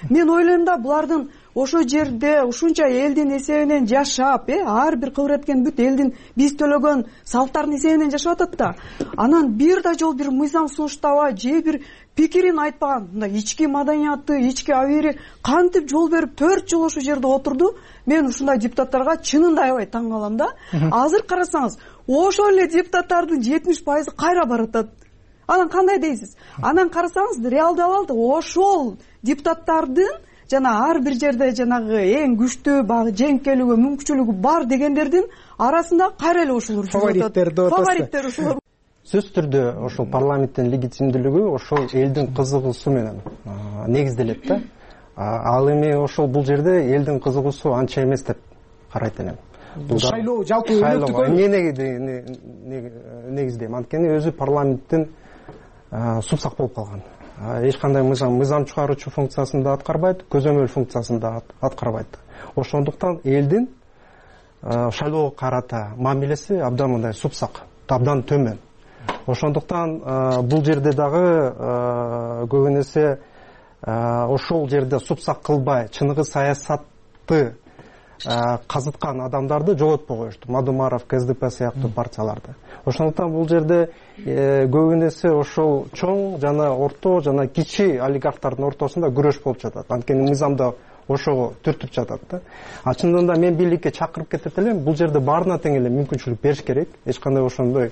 Мен ойлойм да булардын ошо жерде ушунча элдин эсебинен жашап, ар бир кыбыр эткен бүт элдин биз төлөгөн салыктардын эсебинен жашап атат да. Анан бир да жол бир мыйзам сунуштабай, же бир пикирин айтпаган, мындай ички маданияты, ички абийири кантип жол берип 4 жыл ошол жерде отурду. Мен ушундай депутаттарга чынында аябай таң калам да. Азыр карасаңыз, ошол эле депутаттардын 70% кайра баратат. Анан кандай дейсиз? Анан карасаңыз, реалдуу ошол депутаттардын жана ар бир жерде жанагы эң күчтүү багы жеңкелүүгү, мүмкүнчүлүгү бар дегендердин арасында кайра эле ошолор фавориттер ошолор. Сөзсүз түрдө ошол парламенттин легитимдүүлүгү ошол элдин кызыгуусу менен негизделет да. Ал эми ошол бул жерде элдин кызыгуусу анча эмес деп карайт элем. Шайлоо жалпы өнөктүккө негиздейм, анткени өзү парламенттин супсак болуп калган. эч кандай мыйзам чыгаруучу функциясын да аткарбайт, көзөмөл функциясын да аткарбайт. Ошондуктан элдин шайлоого карата мамилеси абдан мындай супсак, абдан төмөн. Ошондуктан бул жерде дагы көбүн эсе ошол жерде супсак кылбай чыныгы саясатты казыткан адамдарды жоготпой коюшту. Мадумаров, КСДП сыяктуу партияларды. Ошондуктан бул жерде көбүн эсе ошол чоң жана орто жана кичи олигархтардын ортосунда күрөш болуп жатат. Анткени мыйзамда ошого түртүп жатат да. Чындыгында мен бийликке чакырып кетет элем, бул жерде баарына тең эле мүмкүнчүлүк бериш керек. Эч кандай ошондой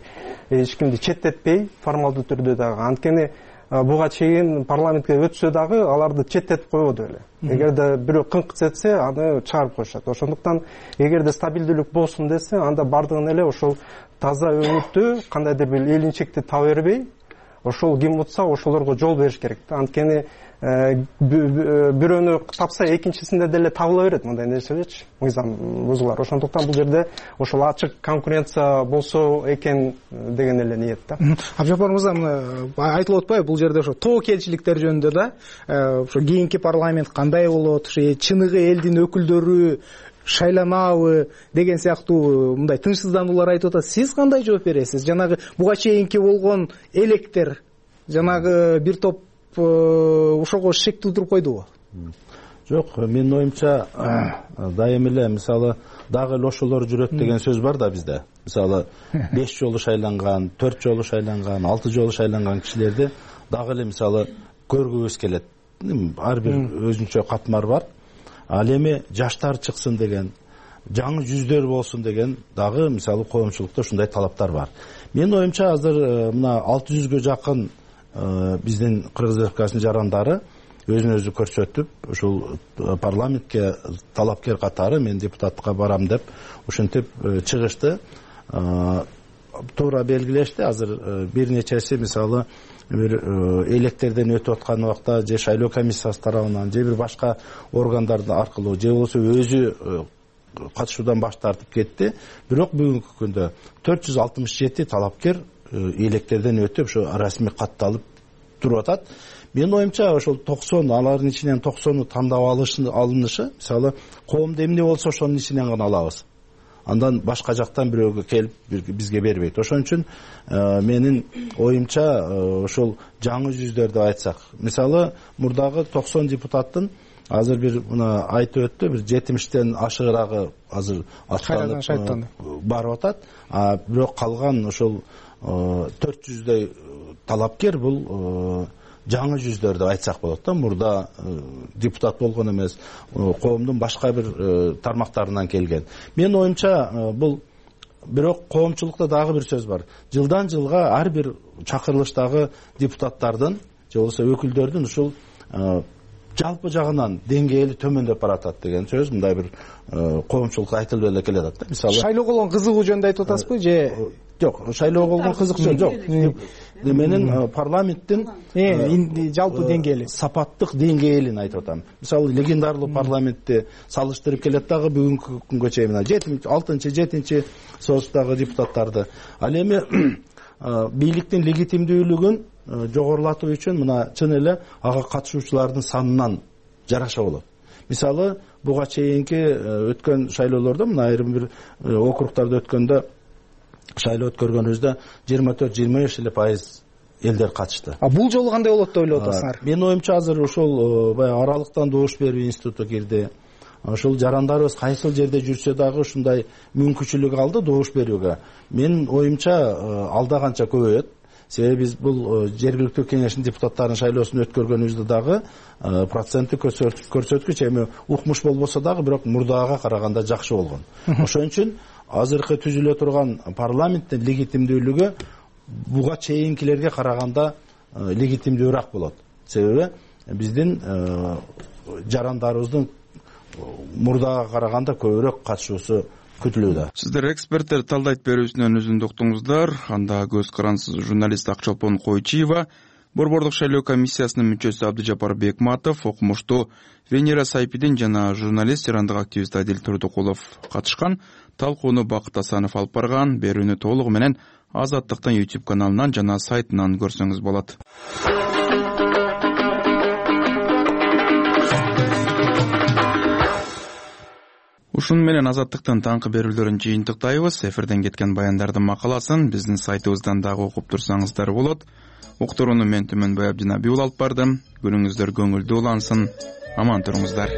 эч кимди четтетпей, формалдуу түрдө дагы. Анткени буга чейин парламентке өтсө дагы аларды четтетип койбоду эле. Эгерде бирөө кыңк этсе, аны чыгарып коюшат. Ошондуктан эгерде стабилдүүлүк болсун десе, анда бардыгын эле ошол таза өңүттүү, кандайдыр бир элинчекти таба бербей, ошол ким утса ошолорго жол бериш керек да. Анткени бирөөнү тапса экинчисинде деле табыла берет мындай нерселерчи, мыйзам бузулар. Ошондуктан бул жерде ошол ачык конкуренция болсо экен деген эле ниет да. Абжапар мырза, айтылып атпайбы бул жерде ошо тобокелчиликтер жөнүндө да, ошо кийинки парламент кандай болот, ошо чыныгы элдин өкүлдөрү шайланабы деген сыяктуу мындай тынчсыздануулар айтып атат. Сиз кандай жооп бересиз? Жанагы буга чейинки болгон электер, жанагы бир топ ошого шек туудуруп койдубу? Жок, менин оюмча дайым эле мисалы дагы эле ошолор жүрөт деген сөз бар да бизде. Мисалы 5 жолу шайланган, 4 жолу шайланган, 6 жолу шайланган кишилерди дагы эле мисалы көргүбүз келет. Ар бир өзүнчө катмар бар. Ал эми жаштар чыксын деген, жаңы жүздөр болсун деген дагы мисалы коомчулукта ушундай талаптар бар. Менин оюмча азыр мына 600гө жакын биздин Кыргыз Республикасынын жарандары өзүн өзү көрсөтүп, ушул парламентке талапкер катары мен депутатка барам деп ушинтип чыгышты. Туура белгилешти. Азыр бир нечеси мисалы бир электерден өтүп аткан убакта же шайлоо комиссиясы тарабынан же бир башка органдардын аркылуу же болбосо өзү катышуудан баш тартып кетти. Бирок бүгүнкү күндө 467 талапкер электерден өтүп ошо расмий катталып туруп атат. Менин оюмча ошол 90, алардын ичинен 90-ы тандап алынышы, мисалы коомдо эмне болсо ошонун ичинен гана алабыз. Андан башка жактан бирөөгө келип бизге бербейт. Ошон үчүн менин оюмча ошол жаңы жүздөр деп айтсак, мисалы мурдагы 90 депутаттын азыр бир мына айтып өттү, бир 70тен ашыгыраагы азыр аттанып барып атат. Бирок калган ошол 400дөй талапкер бул жаңы жүздөр деп айтсак болот да. Мурда депутат болгон эмес, коомдун башка бир тармактарынан келген. Менин оюмча бул бирок коомчулукта дагы бир сөз бар. Жылдан жылга ар бир чакырылыштагы депутаттардын же болбосо өкүлдөрдүн ушул жалпы жагынан деңгээли төмөндөп баратат деген сөз мындай бир коомчулукта айтылып эле келатат да. Мисалы шайлоого болгон кызыгуу жөнүндө айтып атасызбы же жок, шайлоого болгон кызык жок. Менин парламенттин жалпы деңгээли, сапаттык деңгээлин айтып атам. Мисалы легендарлуу парламентти салыштырып келет дагы бүгүнкү күнгө чейин мына 6-чы, 7-чи союздагы депутаттарды. Ал эми бийликтин легитимдүүлүгүн жогорулатуу үчүн мына чын эле ага катышуучулардын санынан жараша болот. Мисалы буга чейинки өткөн шайлоолордо мына айрым бир округтарда өткөндө шайлоо өткөргөнүбүздө 24-25% элдер катышты. Бул жолу кандай болот деп ойлоп атасыңар? Менин оюмча азыр ошол баягы аралыктан добуш берүү институту кирди. Ошол жарандарыбыз кайсыл жерде жүрсө дагы ушундай мүмкүнчүлүк алды добуш берүүгө. Менин оюмча алда канча көбөйөт. Себеби биз бул жергиликтүү кеңештин депутаттарынын шайлоосун өткөргөнүбүздө дагы проценттик көрсөткүч эми укмуш болбосо дагы бирок мурдага караганда жакшы болгон. Ошон үчүн азыркы түзүлө турган парламенттин легитимдүүлүгү буга чейинкилерге караганда легитимдүүрөөк болот. Себеби биздин жарандарыбыздын мурдага караганда көбүрөөк катышуусу күтүлүүдө. Сиздер эксперттер талдайт берүүсүнөн үзүндү уктуңуздар. Анда көз карансыз журналист Акчолпон Койчиева, Борбордук шайлоо комиссиясынын мүчөсү Абдыжапар Бекматов, окумуштуу Венера Сайпидин жана журналист ирандык активист Адил Турдукулов катышкан. Талкууну Бакыт Асанов алып барган. Берүүнү толугу менен Азаттыктын YouTube каналынан жана сайтынан көрсөңүз болот. Ушуну менен Азаттыктын таңкы берүүлөрүн жыйынтыктайбыз. Эфирден кеткен баяндардын макаласын биздин сайтыбыздан дагы окуп турсаңыздар болот. Уктурууну мен Түмөнбай Абдинаби алып бардым. Күнүңүздөр көңүлдүү улансын. Аман туруңуздар.